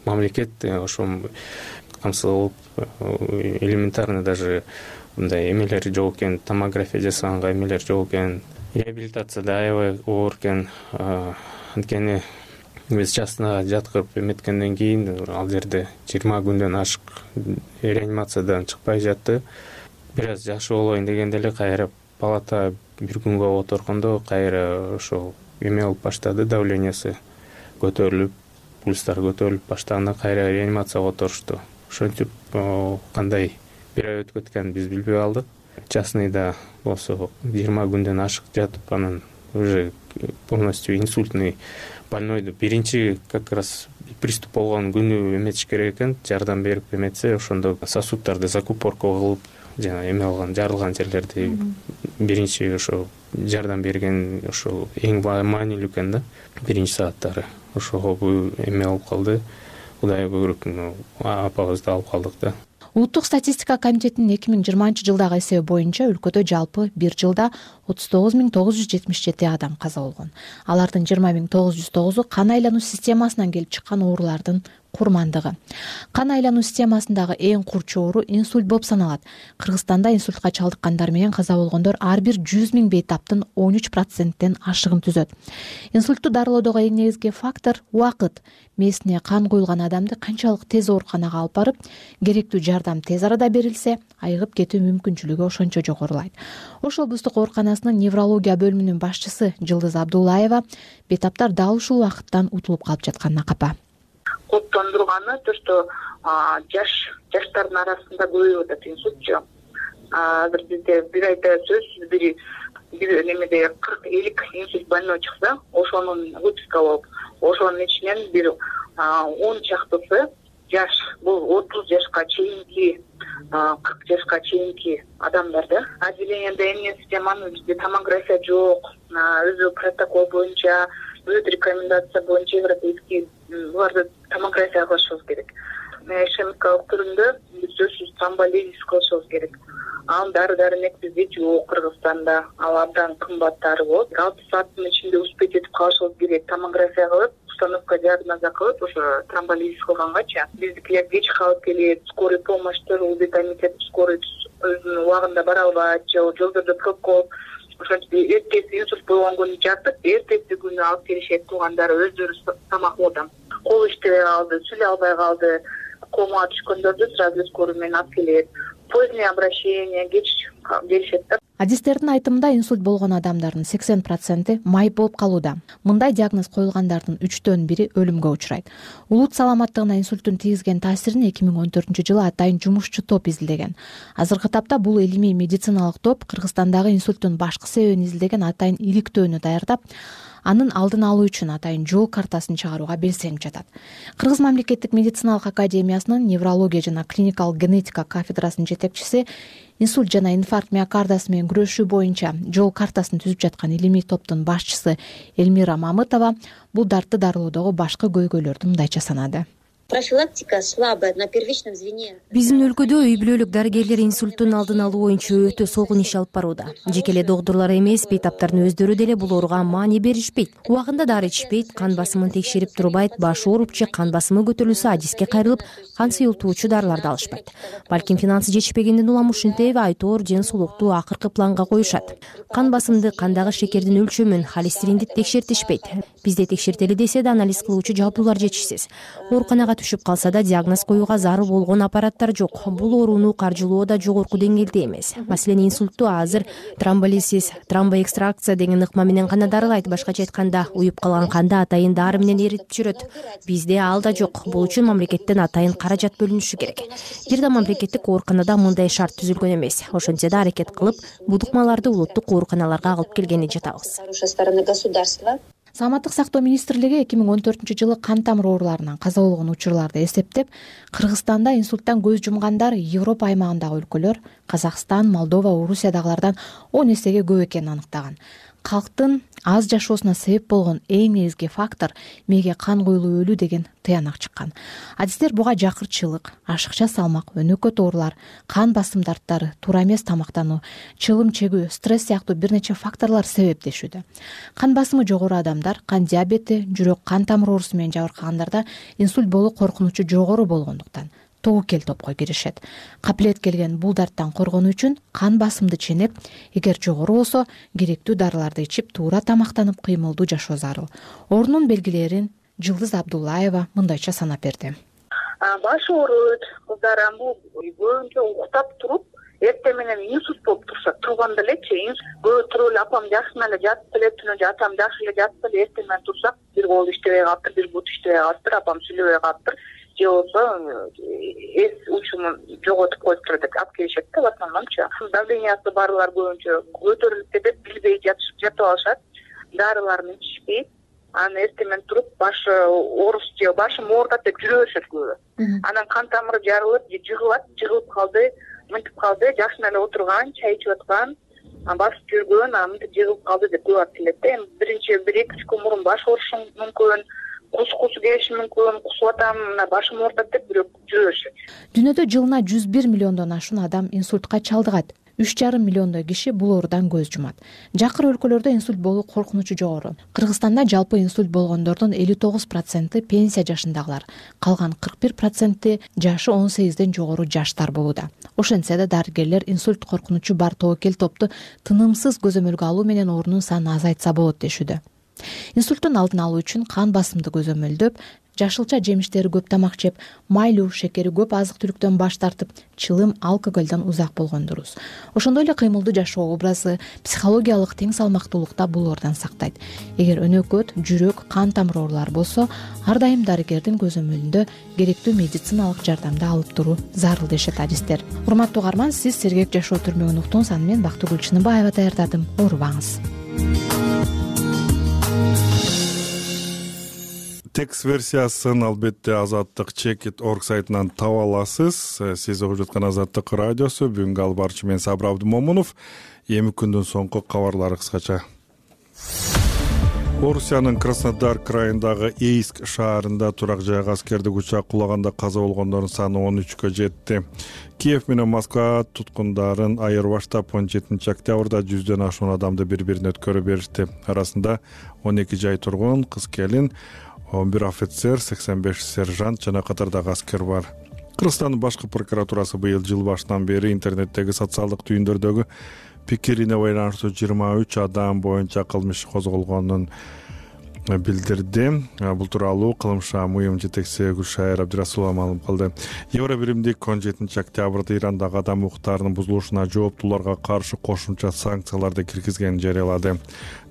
мамлекет ошо камсыз элементарно даже мындай эмелер жок экен, томография жасаганга эмелер жок экен, реабилитацияда аябай оор экен. Анткени биз частныйга жаткырып эметкенден кийин ал жерде жыйырма күндөн ашык реанимациядан чыкпай жатты. бир аз жакшы болоюн дегенде эле кайра палата бир күнгө отургондо кайра ошол эме болуп баштады, давлениясы көтөрүлүп, пульстары көтөрүлүп баштаганда кайра реанимацияга отурушту. Ошентип кандай бир ай өтүп кеткенин биз билбей калдык. Частныйда болсо жыйырма күндөн ашык жатып, анан уже полностью инсультный больнойду биринчи как раз приступ болгон күнү эметиш керек экен, жардам берип эметсе, ошондо сосуддарды закупорка кылып, жана эме алган, жарылган жерлерди биринчи ошо жардам берген ошол эң маанилүү экен да, биринчи сааттары. Ошого бул эме болуп калды. Кудай буйрук апабызды алып калдык да. Улуттук статистика комитетинин эки миң жыйырманчы жылдагы эсеби боюнча өлкөдө жалпы бир жылда отуз тогуз миң тогуз жүз жетимиш жети адам каза болгон. Алардын жыйырма миң тогуз жүз тогузу кан айлануу системасынан келип чыккан оорулардын курмандыгы. Кан айлануу системасындагы эң курч оору инсульт болуп саналат. Кыргызстанда инсультка чалдыккандар менен каза болгондор ар бир жүз миң бейтаптын он үч проценттен ашыгын түзөт. Инсультту дарылоодогу эң негизги фактор убакыт. Мээсине кан куюлган адамды канчалык тез ооруканага алып барып, керектүү жардам тез арада берилсе, айыгып кетүү мүмкүнчүлүгү ошончо жогорулайт. Ош облустук ооруканасынын неврология бөлүмүнүн башчысы Жылдыз Абдуллаева бейтаптар дал ушул убакыттан утулуп калып жатканына капа. Кооптондурганы то, что жаш жаштардын арасында көбөйүп атат инсультчу. Азыр бизде бир айда сөзсүз бир бир немеде кырк элүү инсульт больной чыкса, ошонун выписка болуп, ошонун ичинен бир он чактысы жаш, бул отуз жашка чейинки, кырк жашка чейинки адамдар да. Отделенияда эмне системаны бизде томография жок, өзү протокол боюнча, өз рекомендация боюнча европейский буларды томография кылышыбыз керек. Ишемкалык түрүндө сөзсүз тромболизис кылышыбыз керек. Ал дары-дармек бизде жок Кыргызстанда, ал абдан кымбаттары болот. алты сааттын ичинде успеть этип калышыбыз керек. Томография кылып, установка диагноза кылып, ошо тромболизис кылгангачы биздикилер кеч калып келет, скорый помощьтор, комитет скорый өзүнүн убагында бара албайт, же жолдордо пробка, ошентип эртеси инсульт болгон күнү жатып, эртеси күнү алып келишет, туугандары өздөрү тамакоодон. Кол иштебей калды, сүйлөй албай калды, комага түшкөндөрдү сразу скорый менен алып келет. Позднее обращение, кеч келишет да. Адистердин айтымында инсульт болгон адамдардын сексен проценти майып болуп калууда. Мындай диагноз коюлгандардын үчтөн бири өлүмгө учурайт. Улут саламаттыгына инсульттун тийгизген таасирин эки миң он төртүнчү жылы атайын жумушчу топ изилдеген. Азыркы тапта бул илимий медициналык топ Кыргызстандагы инсульттун башкы себебин изилдеген атайын иликтөөнү даярдап, анын алдын алуу үчүн атайын жол картасын чыгарууга белсенип жатат. Кыргыз мамлекеттик медициналык академиясынын неврология жана клиникалык генетика кафедрасынын жетекчиси, инсульт жана инфаркт миокардасы менен күрөшүү боюнча жол картасын түзүп жаткан илимий топтун башчысы Эльмира Мамытова бул дартты дарылоодогу башкы көйгөйлөрдү мындайча санады. Профилактика слабая на первичном звене. Биздин өлкөдө үй бүлөлүк дарыгерлер инсульттун алдын алуу боюнча өтө солгун иш алып барууда. Жеке эле доктурлар эмес, бейтаптардын өздөрү деле бул ооруга маани беришпейт. Убагында дары ичишпейт, кан басымын текшерип турбайт, башы ооруп же кан басымы көтөрүлсө адиске кайрылып, кан сыйылтуучу дарыларды алышпайт. Балким финансы жетишпегенден улам ушинтип айтоор ден соолукту акыркы планга коюшат. Кан басымды, кандагы шекердин өлчөмүн, холестеринди текшертишпейт. Бизде текшертели десе да анализ кылуучу жабдуулар жетишсиз. Ооруканага түшүп калса да диагноз коюуга зарыл болгон аппараттар жок. Бул ооруну каржылоо да жогорку деңгээлде эмес. Маселен, инсультту азыр тромболизис, тромбоэкстракция деген ыкма менен гана дарылайт. Башкача айтканда, уюп калган канды атайын дары менен эритип жүрөт. Бизде ал да жок. Бул үчүн мамлекеттен атайын каражат бөлүнүшү керек. Бир да мамлекеттик ооруканада мындай шарт түзүлгөн эмес. Ошентсе да аракет кылып, бул ыкмаларды улуттук ооруканаларга алып келгени жатабыз. Саламаттык сактоо министрлиги эки миң он төртүнчү жылы кан тамыр ооруларынан каза болгон учурларды эсептеп, Кыргызстанда инсульттан көз жумгандар Европа аймагындагы өлкөлөр Казакстан, Молдова, Орусиядагылардан он эсеге көп экенин аныктаган. Калктын аз жашоосуна себеп болгон эң негизги фактор мээге кан куюлуп өлүү деген тыянак чыккан. Адистер буга жакырчылык, ашыкча салмак, өнөкөт оорулар, кан басым дарттары, туура эмес тамактануу, чылым чегүү, стресс сыяктуу бир нече факторлор себептешүүдө. Кан басымы жогору адамдар, кан диабети, жүрөк кан тамыр оорусу менен жабыркагандарда инсульт болуу коркунучу жогору болгондуктан тобокел топко киришет. Капилет келген бул дарттан коргонуу үчүн кан басымды ченеп, эгер жогору болсо, керектүү дарыларды ичип, туура тамактанып, кыймылдуу жашоо зарыл. Оорунун белгилерин Жылдыз Абдуллаева мындайча санап берди. Баш ооруйт, кыздар бул көбүнчө уктап туруп, эртең менен инсульт болуп турса турган делечи, көбү туруп эле апам жакшы эле жатып эле, түнү атам жакшы эле жатып эле, эртең менен турсак бир кол иштебей калыптыр, бир бут иштебей калыптыр, апам сүйлөбөй калыптыр, же болбосо эс учумун жоготуп коюптур деп алып келишет да. В основномчу давлениясы барлар көбүнчө көтөрүлүп кетет, билбей жатышып жатып алышат, дарыларын ичишпейт, анан эртең менен туруп башы ооруш же башым оорутат деп жүрө беришет көбү. Анан кан тамыры жарылып же жыгылат, жыгылып калды, мынтип калды, жакшы эле отурган, чай ичип аткан, басып жүргөн, анан мынтип жыгылып калды деп көп айтып келет да. Эми биринчи бир эки үч күн мурун баш оорушу мүмкүн, кус кусу келиши мүмкүн, кусуп атам, мына башым оорутат деп бирөө жүрө беришет. Дүйнөдө жылына жүз бир миллиондон ашуун адам инсультка чалдыгат. үч жарым миллиондой киши бул оорудан көз жумат. Жакыр өлкөлөрдө инсульт болуу коркунучу жогору. Кыргызстанда жалпы инсульт болгондордун элүү тогуз проценти пенсия жашындагылар, калган кырк бир проценти жашы он сегизден жогору жаштар болууда. Ошентсе да дарыгерлер инсульт коркунучу бар тобокел топту тынымсыз көзөмөлгө алуу менен оорунун санын азайтса болот дешүүдө. Инсульттун алдын алуу үчүн кан басымды көзөмөлдөп, жашылча жемиштери көп тамак жеп, майлуу, шекери көп азык-түлүктөн баш тартып, чылым, алкоголдон узак болгон дурус. Ошондой эле кыймылдуу жашоо образы психологиялык тең салмактуулукта бул оордан сактайт. Эгер өнөкөт, жүрөк, кан тамыр оорулары болсо, ар дайым дарыгердин көзөмөлүндө керектүү медициналык жардамды алып туруу зарыл дешет адистер. Урматтуу угарман, сиз Сергек жашоо түрмөгүн уктуңуз, аны мен Бактыгүл Чыныбаева даярдадым. Оорубаңыз. Текст версиясын албетте азаттык чекит точка орг сайтынан таба аласыз. Сиз угуп жаткан Азаттык радиосу. Бүгүнкү алып барчы мен Сабыр Абдымомунов. Эми күндүн соңку кабарлары кыскача. Орусиянын Краснодар крайындагы Эйск шаарында турак жайга аскердик учак кулаганда каза болгондордун саны он үчкө жетти. Киев менен Москва туткундарын айырбаштап он жетинчи октябрда жүздөн ашуун адамды бири-бирине өткөрүп беришти. Арасында он эки жай тургун, кыз келин, он бир офицер, сексен беш сержант жана катардагы аскер бар. Кыргызстандын башкы прокуратурасы быйыл жыл башынан бери интернеттеги социалдык түйүндөрдөгү пикирине байланыштуу жыйырма үч адам боюнча кылмыш козголгонун билдирди. Бул тууралуу кылмышка МУИМ жетекчиси Гүлшайыр Абдырасулова маалым кылды. Евро биримдик он жетинчи октябрда Ирандагы адам укуктарынын бузулушуна жооптууларга каршы кошумча санкцияларды киргизгенин жарыялады.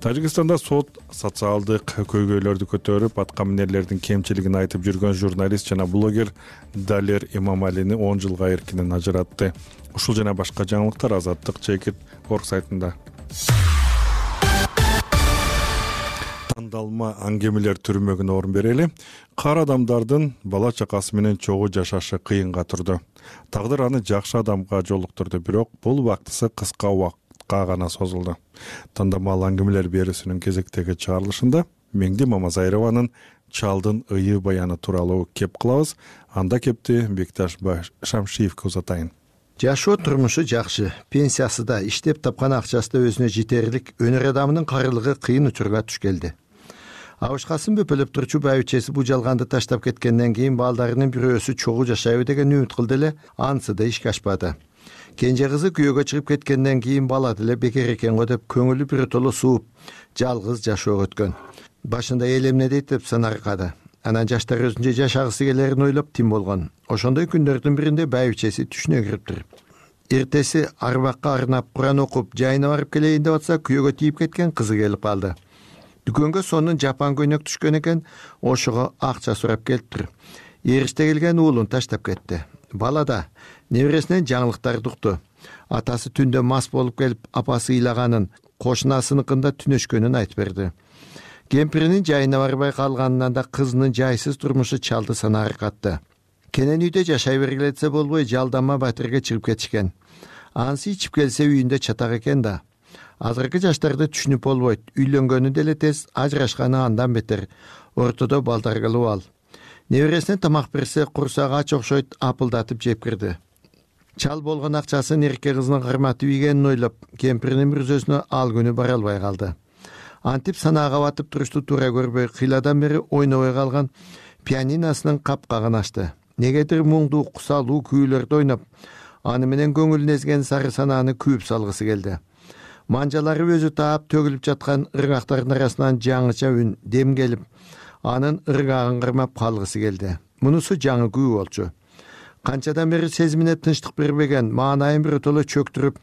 Тажикстанда сот социалдык көйгөйлөрдү көтөрүп, аткаминерлердин кемчилигин айтып жүргөн журналист жана блогер Далер Имамалини он жылга эркинен ажыратты. Ушул жана башка жаңылыктар Азаттык чекит точка орг сайтында. Тандалма аңгемелер түрмөгүнө орун берели. Кар адамдардын бала чакасы менен чогуу жашашы кыйынга турду. Тагдыр аны жакшы адамга жолуктурду, бирок бул убактысы кыска убакытка гана созулду. Тандалма аңгемелер берүүсүнүн кезектеги чыгарылышында Меңди Мамазайрованын Чалдын ыйы баяны тууралуу кеп кылабыз. Анда кепти Бекташ Шамшиевке узатайын. Жашоо турмушу жакшы, пенсиясы да, иштеп тапкан акчасы да өзүнө жетерлик, өнөр адамынын карылыгы кыйын учурга туш келди. Абышкасын бөпөлөп турчу байбичеси бул жалганды таштап кеткенден кийин балдарынын бирөөсү чогуу жашайбы деген үмүт кылды эле, анысы да ишке ашпады. Кенже кызы күйөөгө чыгып кеткенден кийин бала деле бекер экен го деп көңүлү биротоло сууп, жалгыз жашоого өткөн. Башында эл эмне дейт деп санаркады. Анан жаштар өзүнчө жашагысы келерин ойлоп тим болгон. Ошондой күндөрдүн биринде байбичеси түшүнө кириптир. Эртеси арбакка арнап Куран окуп, жайына барып келейин деп атса, күйөөгө тийип кеткен кызы келип калды. Дүкөнгө сонун жапан көйнөк түшкөн экен, ошого акча сурап келиптир. Эриште келген уулун таштап кетти. Бала да небересинен жаңылыктарды укту. Атасы түндө мас болуп келип, апасы ыйлаганын, кошунасыныкында түнөшкөнүн айтып берди. Кемпиринин жайына барбай калганынан да кызынын жайсыз турмушу чалды санаары катты. Кенен үйдө жашай бергиле десе болбой, жалданма батирге чыгып кетишкен. Ансы ичип келсе үйүндө чатак экен да. Азыркы жаштарды түшүнүп болбойт. Үйлөнгөнү деле тез, ажырашканы андан бетер. Ортодо балдар кылып ал. Небересине тамак берсе, курсагы ач окшойт, апылдатып жеп кирди. Чал болгон акчасын эрке кызынын кырматып ийгенин ойлоп, кемпиринин мүрзөсүнө ал күнү бара албай калды. Антип санаага батып турушту туура көрбөй, кыйладан бери ойнобой калган пианиносунун капкагын ачты. Негедир муңдуу, кусалуу күүлөрдү ойноп, аны менен көңүлүн эзген сары санааны күйүп салгысы келди. Манжалары өзү таап төгүлүп жаткан ыргактардын арасынан жаңыча үн, дем келип, анын ыргагын кырмап калгысы келди. Мунусу жаңы күү болчу. канчадан бери сезимине тынчтык бербеген маанайын биротоло чөктүрүп,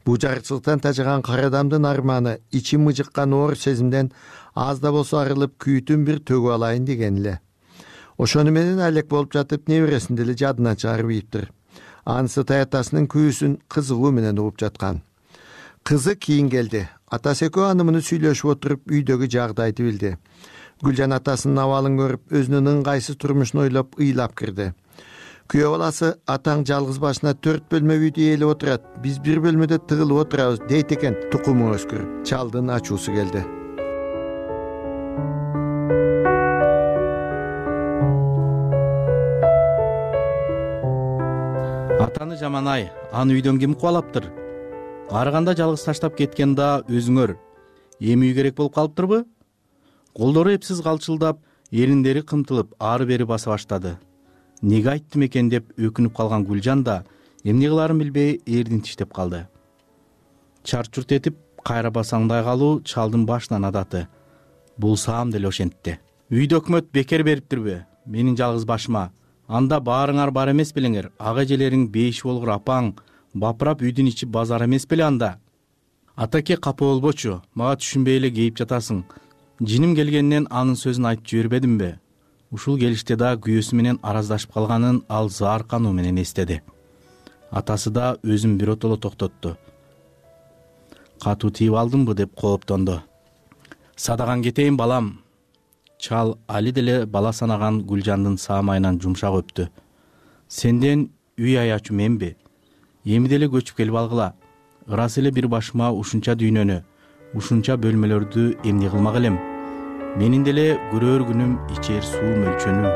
бул жарыкчылыктан тажаган кара адамдын арманы ичи мыжыккан оор сезимден аз да болсо арылып күйүүтүн бир төгүп алайын деген эле. Ошону менен алек болуп жатып небересин деле жадынан чыгарып ийиптир. Анысы таятасынын күйүүсүн кызыгуу менен угуп жаткан. Кызы кийин келди. Атасы экөө аны муну сүйлөшүп отуруп үйдөгү жагдайды билди. Гүлжан атасынын абалын көрүп, өзүнүн ыңгайсыз турмушун ойлоп ыйлап кирди. Күйөө баласы атаң жалгыз башына төрт бөлмө үйдү ээлеп отурат. Биз бир бөлмөдө тыгылып отурабыз дейт экен. Тукумуң өскүр. Чалдын ачуусу келди. Атаны жаман-ай, аны үйдөн ким кубалаптыр? Арыганда жалгыз таштап кеткен да өзүңөр. Эми үй керек болуп калыптырбы? Колдору эпсиз калчылдап, эриндери кымтылып, ары-бери баса баштады. Неге айттым экен деп өкүнүп калган Гүлжан да эмне кыларын билбей эрдин тиштеп калды. Чарт-чурт этип, кайра басаңдай калуу чалдын башынан адаты. Бул саам деле ошентти. Үйдө өкмөт бекер бериптирби? Менин жалгыз башыма. Анда баарыңар бар эмес белеңер. Ага эжелериң беш болгур апаң бапырап үйдүн ичи базар эмес беле анда? Атаке капа болбочу, мага түшүнбөй эле кейип жатасың. Жиним келгеннен анын сөзүн айтып жибербедимби? Ушул келиште да күйөөсү менен араздашып калганын ал заар кануу менен эстеди. Атасы да өзүн биротоло токтотту. Катуу тийип алдымбы деп кооптонду. Садаган кетейин балам. Чал али деле бала санаган Гүлжандын саамайынан жумшак өптү. Сенден үй аячу менби? Эми деле көчүп келип алгыла. Ырас эле бир башыма ушунча дүйнөнү, ушунча бөлмөлөрдү эмне кылмак элем? Менин деле көрөр күнүм ичер суу мөлчөнү.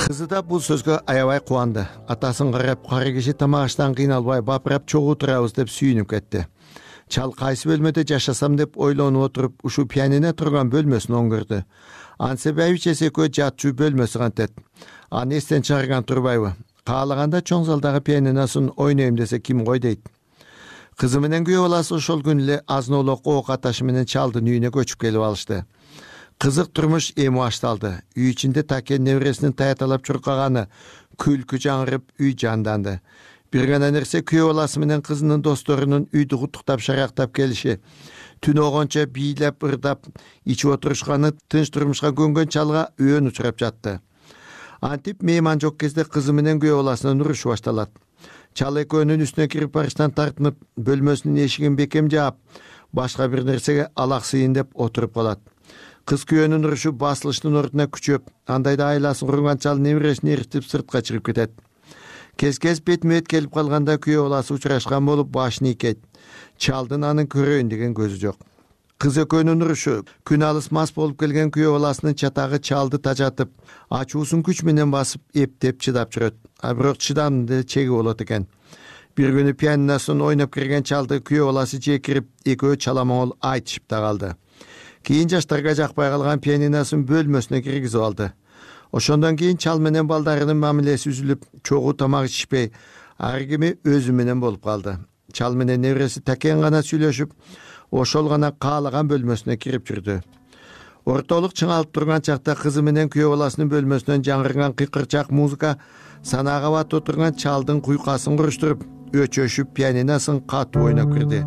Кызы да бул сөзгө аябай кубанды. Атасын карап, кара киши тамак аштан кыйналбай бапырап чогуу турабыз деп сүйүнүп кетти. Чал кайсы бөлмөдө жашасам деп ойлонуп отуруп, ушу пианино турган бөлмөсүн оңгөрдү. Ансы байбичеси экөө жатчу бөлмөсү кантет. Аны эстен чыгарган турбайбы? Каалаганда чоң залдагы пианиносын ойнойм десе ким кой дейт. Кызы менен күйөө баласы ошол күнү эле азын-олок ок аташы менен чалдын үйүнө көчүп келип алышты. Кызык турмуш эми башталды. Үй ичинде Такен небересинин таяталап чуркаганы, күлкү жаңырып, үй жанданды. Бир гана нерсе күйөө баласы менен кызынын досторунун үйдү куттуктап шарактап келиши, түн огончо бийлеп, ырдап, ичип отурушканы тынч турмушка көнгөн чалга өөн учурап жатты. Антип мейман жок кезде кызы менен күйөө баласынын урушу башталат. Чал экөөнүн үстүнө кирип барыштан тартынып, бөлмөсүнүн эшигин бекем жаап, башка бир нерсеге алаксыйын деп отуруп калат. Кыз күйөөнүн урушу басылыштын ордуна күчөп, андайда айласын курган чал небересин эритип сыртка чыгып кетет. Кез-кез бетме-бет келип калганда күйөө баласы учурашкан болуп башын ийкейт. Чалдын анын көрөйүн деген көзү жок. Кыз экөөнүн урушу күн алыс мас болуп келген күйөө баласынын чатагы чалды тажатып, ачуусун күч менен басып, эптеп чыдап жүрөт. А бирок чыдамдын деле чеги болот экен. Бир күнү пианиносун ойноп кирген чалды күйөө баласы жекирип, экөө чаламоңол айтышып да калды. Кийин жаштарга жакпай калган пианиносун бөлмөсүнө киргизип алды. Ошондон кийин чал менен балдарынын мамилеси үзүлүп, чогуу тамак ичишпей, ар кими өзү менен болуп калды. Чал менен небереси Такен гана сүйлөшүп, ошол гана каалаган бөлмөсүнө кирип жүрдү. Ортолук чыңалып турган чакта кызы менен күйөө баласынын бөлмөсүнөн жаңырган кыйкырчак музыка санаага батып отурган чалдын куйкасын куруштуруп, өчөшүп пианиносун катуу ойноп кирди.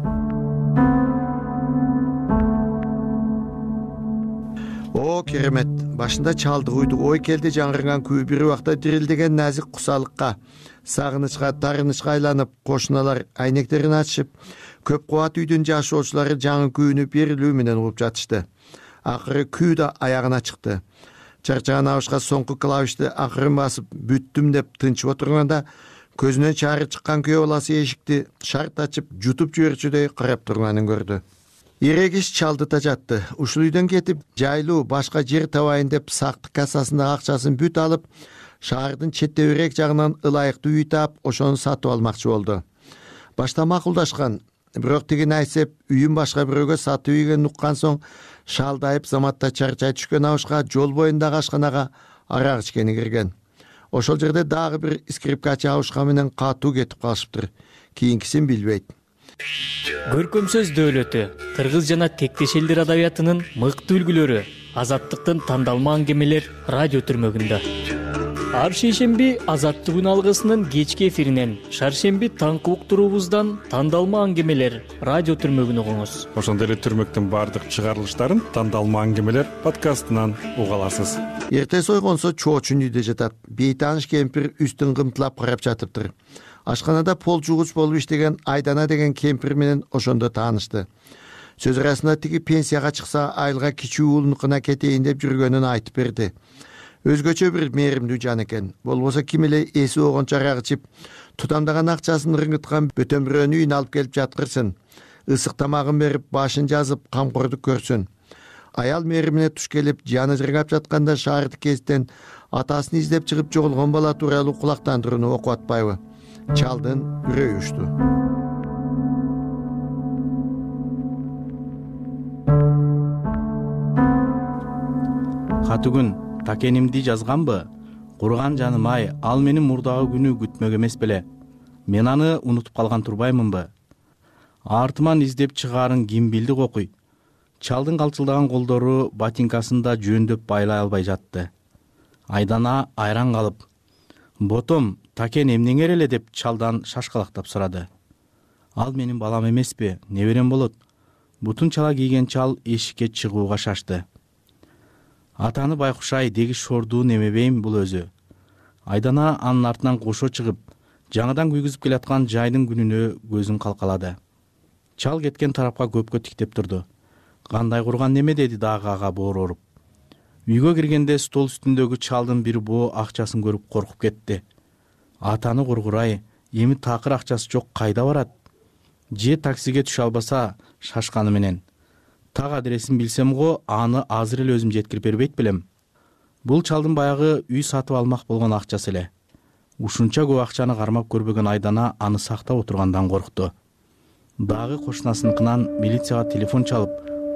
О, керемет! Башында чалды уйду ой келди жаңырган күү бир убакта дирилдеген назик кусалыкка, сагынычка, тарынычка айланып, кошуналар айнектерин ачышып, көп кубат үйдүн жашоочулары жаңы күүнү берилүү менен угуп жатышты. Акыры күү да аягына чыкты. Чарчаган абышка соңку клавишти акырын басып, бүттүм деп тынчып отурганда, көзүнөн чаары чыккан күйөө баласы эшикти шарт ачып, жутуп жиберчүдөй карап турганын көрдү. Ирегиш чалды тажатты. Ушул үйдөн кетип, жайлуу башка жер табайын деп сактык кассасындагы акчасын бүт алып, шаардын четтебирээк жагынан ылайыктуу үй таап, ошону сатып алмакчы болду. Башта макулдашкан, бирок тигин айтсеп, үйүн башка бирөөгө сатып ийгенин уккан соң, шалдайып заматта чарчай түшкөн абышка жол боюндагы ашканага арак ичкени кирген. Ошол жерде дагы бир скрипкачы абышка менен катуу кетип калышыптыр. Кийинкисин билбейт. Көркөм сөз дөөлөтү кыргыз жана тектеш элдер адабиятынын мыкты үлгүлөрү Азаттыктын тандалма аңгемелер радио түрмөгүндө. Ар шейшемби Азаттык күн алгысынын кечки эфиринен, шаршемби таңкы уктуруубуздан тандалма аңгемелер радио түрмөгүн угуңуз. Ошондой эле түрмөктүн баардык чыгарылыштарын тандалма аңгемелер подкастынан уга аласыз. Эртеси ойгонсо чоочун үйдө жатат. Бейтааныш кемпир үстүн кымтылап карап жатыптыр. Ашканада пол жуугуч болуп иштеген Айдана деген кемпир менен ошондо таанышты. Сөз арасында тиги пенсияга чыкса айылга кичүү уулунукуна кетейин деп жүргөнүн айтып берди. Өзгөчө бир мээримдүү жан экен. Болбосо ким эле эси огончо арак ичип, тутамдаган акчасын рыңгыткан бөтөн бирөөнү үйүнө алып келип жаткырсын. Ысык тамагын берип, башын жазып, камкордук көрсүн. Аял мээримине туш келип, жаны жыргап жатканда шаардык кезден атасын издеп чыгып жоголгон бала тууралуу кулактандырууну окуп атпайбы? Чалдын үрөйү учту. Катыгүн такенимди жазганбы? Курган жаным ай, ал менин мурдагы күнү күтмөк эмес беле. Мен аны унутуп калган турбаймынбы? Артыман издеп чыгаарын ким билди кокуй. Чалдын калчылдаган колдору ботинкасында жөндөп байлай албай жатты. Айдана айран калып, "Ботом, такен эмнеңер эле?" деп чалдан шашкалактап сурады. "Ал менин балам эмеспи, неберем болот." Бутун чала кийген чал эшикке чыгууга шашты. "Атаны байкушай, деги шордуу немебейм бул өзү." Айдана анын артынан кошо чыгып, жаңыдан күйгүзүп келаткан жайдын күнүнө көзүн калкалады. Чал кеткен тарапка көпкө тиктеп турду. "Кандай курган неме?" деди дагы ага боору оруп. Үйгө киргенде стол үстүндөгү чалдын бир боо акчасын көрүп коркуп кетти. "Атаны кургурай, эми такыр акчасы жок кайда барат?" Же таксиге түшө албаса шашканы менен. "Так адресин билсем го, аны азыр эле өзүм жеткирип бербейт белем." Бул чалдын баягы үй сатып алмак болгон акчасы эле. Ушунча көп акчаны кармап көрбөгөн Айдана аны сактап отургандан коркту. Дагы кошунасыныкынан милицияга телефон чалып,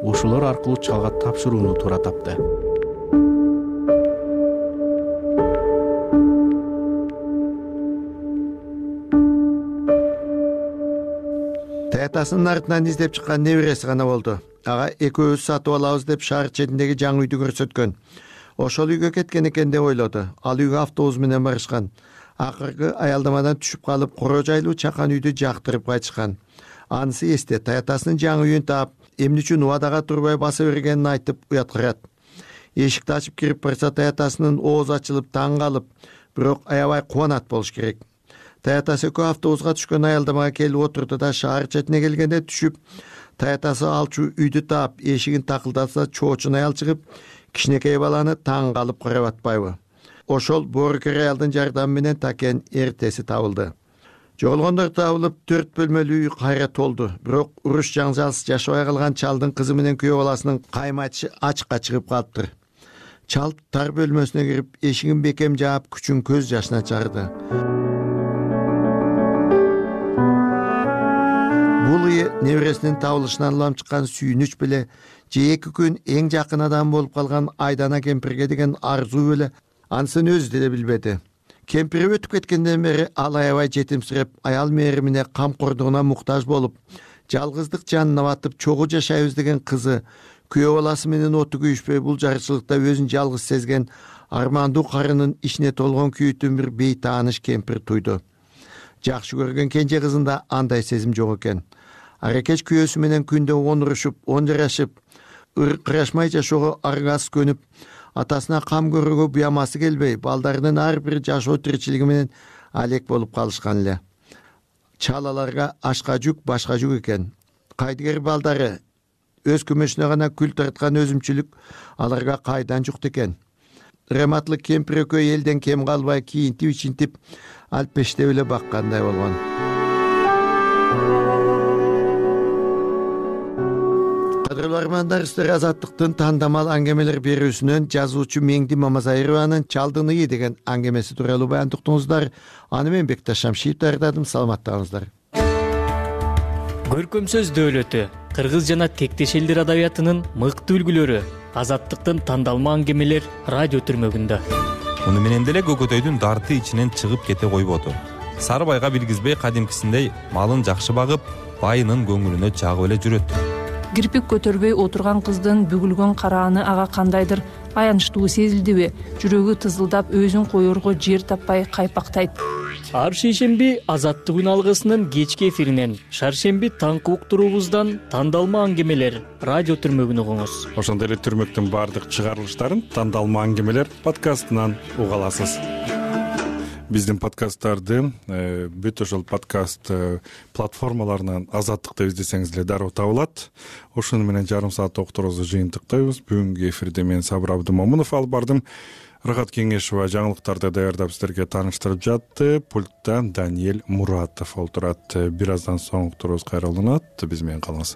ошолор аркылуу чалга тапшырууну туура тапты. Таятасынын артынан издеп чыккан небереси гана болду. Ага экөөбүз сатып алабыз деп шаар четиндеги жаңы үйдү көрсөткөн. Ошол үйгө кеткен экен деп ойлоду. Ал үйгө автобус менен барышкан. Акыркы аялдамадан түшүп калып, коро жайлуу чакан үйдү жактырып кайтышкан. Анысы эсте, таятасынын жаңы үйүн таап, эмне үчүн убадага турбай баса бергенин айтып уяткырат. Эшикти ачып кирип барса, таятасынын оозу ачылып таң калып, бирок аябай кубанат болуш керек. Таятасы экөө автобуска түшкөн аялдамага келип отурду да шаар четине келгенде түшүп, таятасы алчу үйдү таап, эшигин такылдаса чоочун аял чыгып, кичинекей баланы таң калып карап атпайбы? Ошол боорукер аялдын жардамы менен такен эртеси табылды. Жоголгондор табылып, төрт бөлмөлүү үй кайра толду. Бирок уруш жаңжалсыз жашабай калган чалдын кызы менен күйөө баласынын кайым айтышы ачыкка чыгып калыптыр. Чал тар бөлмөсүнө кирип, эшигин бекем жаап, күчүн көз жашына чарды. Бул үй небересинин табылышынан улам чыккан сүйүнүч беле, же эки күн эң жакын адам болуп калган Айдана кемпирге деген арзуу беле, анысын өзү деле билбеди. Кемпири өтүп кеткенден бери ал аябай жетимсиреп, аял мээримине камкордугуна муктаж болуп, жалгыздык жанына батып чогуу жашайбыз деген кызы, күйөө баласы менен оту күйүшпөй бул жарчылыкта өзүн жалгыз сезген армандуу карынын ичине толгон күйүүтүн бир бейтааныш кемпир туйду. Жакшы көргөн кенже кызында андай сезим жок экен. Аракеч күйөөсү менен күндө он урушуп, он жарашып, ыркырашмай жашоого аргасыз көнүп, атасына кам көрүүгө буямасы келбей, балдарынын ар бир жашоо тиричилиги менен алек болуп калышкан эле. Чал аларга ашка жүк, башка жүк экен. Кайдыгер балдары өз күмөшүнө гана күл тарткан өзүмчүлүк аларга кайдан жукт экен. Рематлык кемпир экөө элден кем калбай кийинтип ичинтип алпештеп эле баккандай болгон. Кадырлуу армандар, сиздер Азаттыктын тандамал аңгемелер берүүсүнөн жазуучу Меңди Мамазайырованын Чалдын ыы деген аңгемеси тууралуу баян уктуңуздар. Аны мен Бекташ Шамшиев даярдадым. Саламаттаңыздар. Көркөм сөз дөөлөтү кыргыз жана тектеш элдер адабиятынын мыкты үлгүлөрү Азаттыктын тандалма аңгемелер радио түрмөгүндө. Муну менен деле Көкөтөйдүн дарты ичинен чыгып кете койбоду. Сары байга билгизбей кадимкисиндей малын жакшы багып, байынын көңүлүнө жагып эле жүрөт. Кирпик көтөрбөй отурган кыздын бүгүлгөн карааны ага кандайдыр аянычтуу сезилдиби? Жүрөгү тызылдап, өзүн коерго жер таппай кайпактайт. Ар шейшемби Азаттык үн алгысынын кечки эфиринен шаршемби таңкы уктуруубуздан тандалма аңгемелер радио түрмөгүн угуңуз. Ошондой эле түрмөктүн баардык чыгарылыштарын тандалма аңгемелер подкастынан уга аласыз. Биздин подкасттарды бүт ошол подкаст платформаларынан Азаттык деп издесеңиз эле дароо табылат. Ошону менен жарым саат окуторубузду жыйынтыктайбыз. Бүгүнкү эфирде мен Сабыр Абдымомунов алып бардым. Рахат Кеңешова жаңылыктарды даярдап сиздерге тааныштырып жатты. Пультта Даниэль Муратов отурат. Бир аздан соң уктуруубуз кайра уланат. Биз менен калыңыз.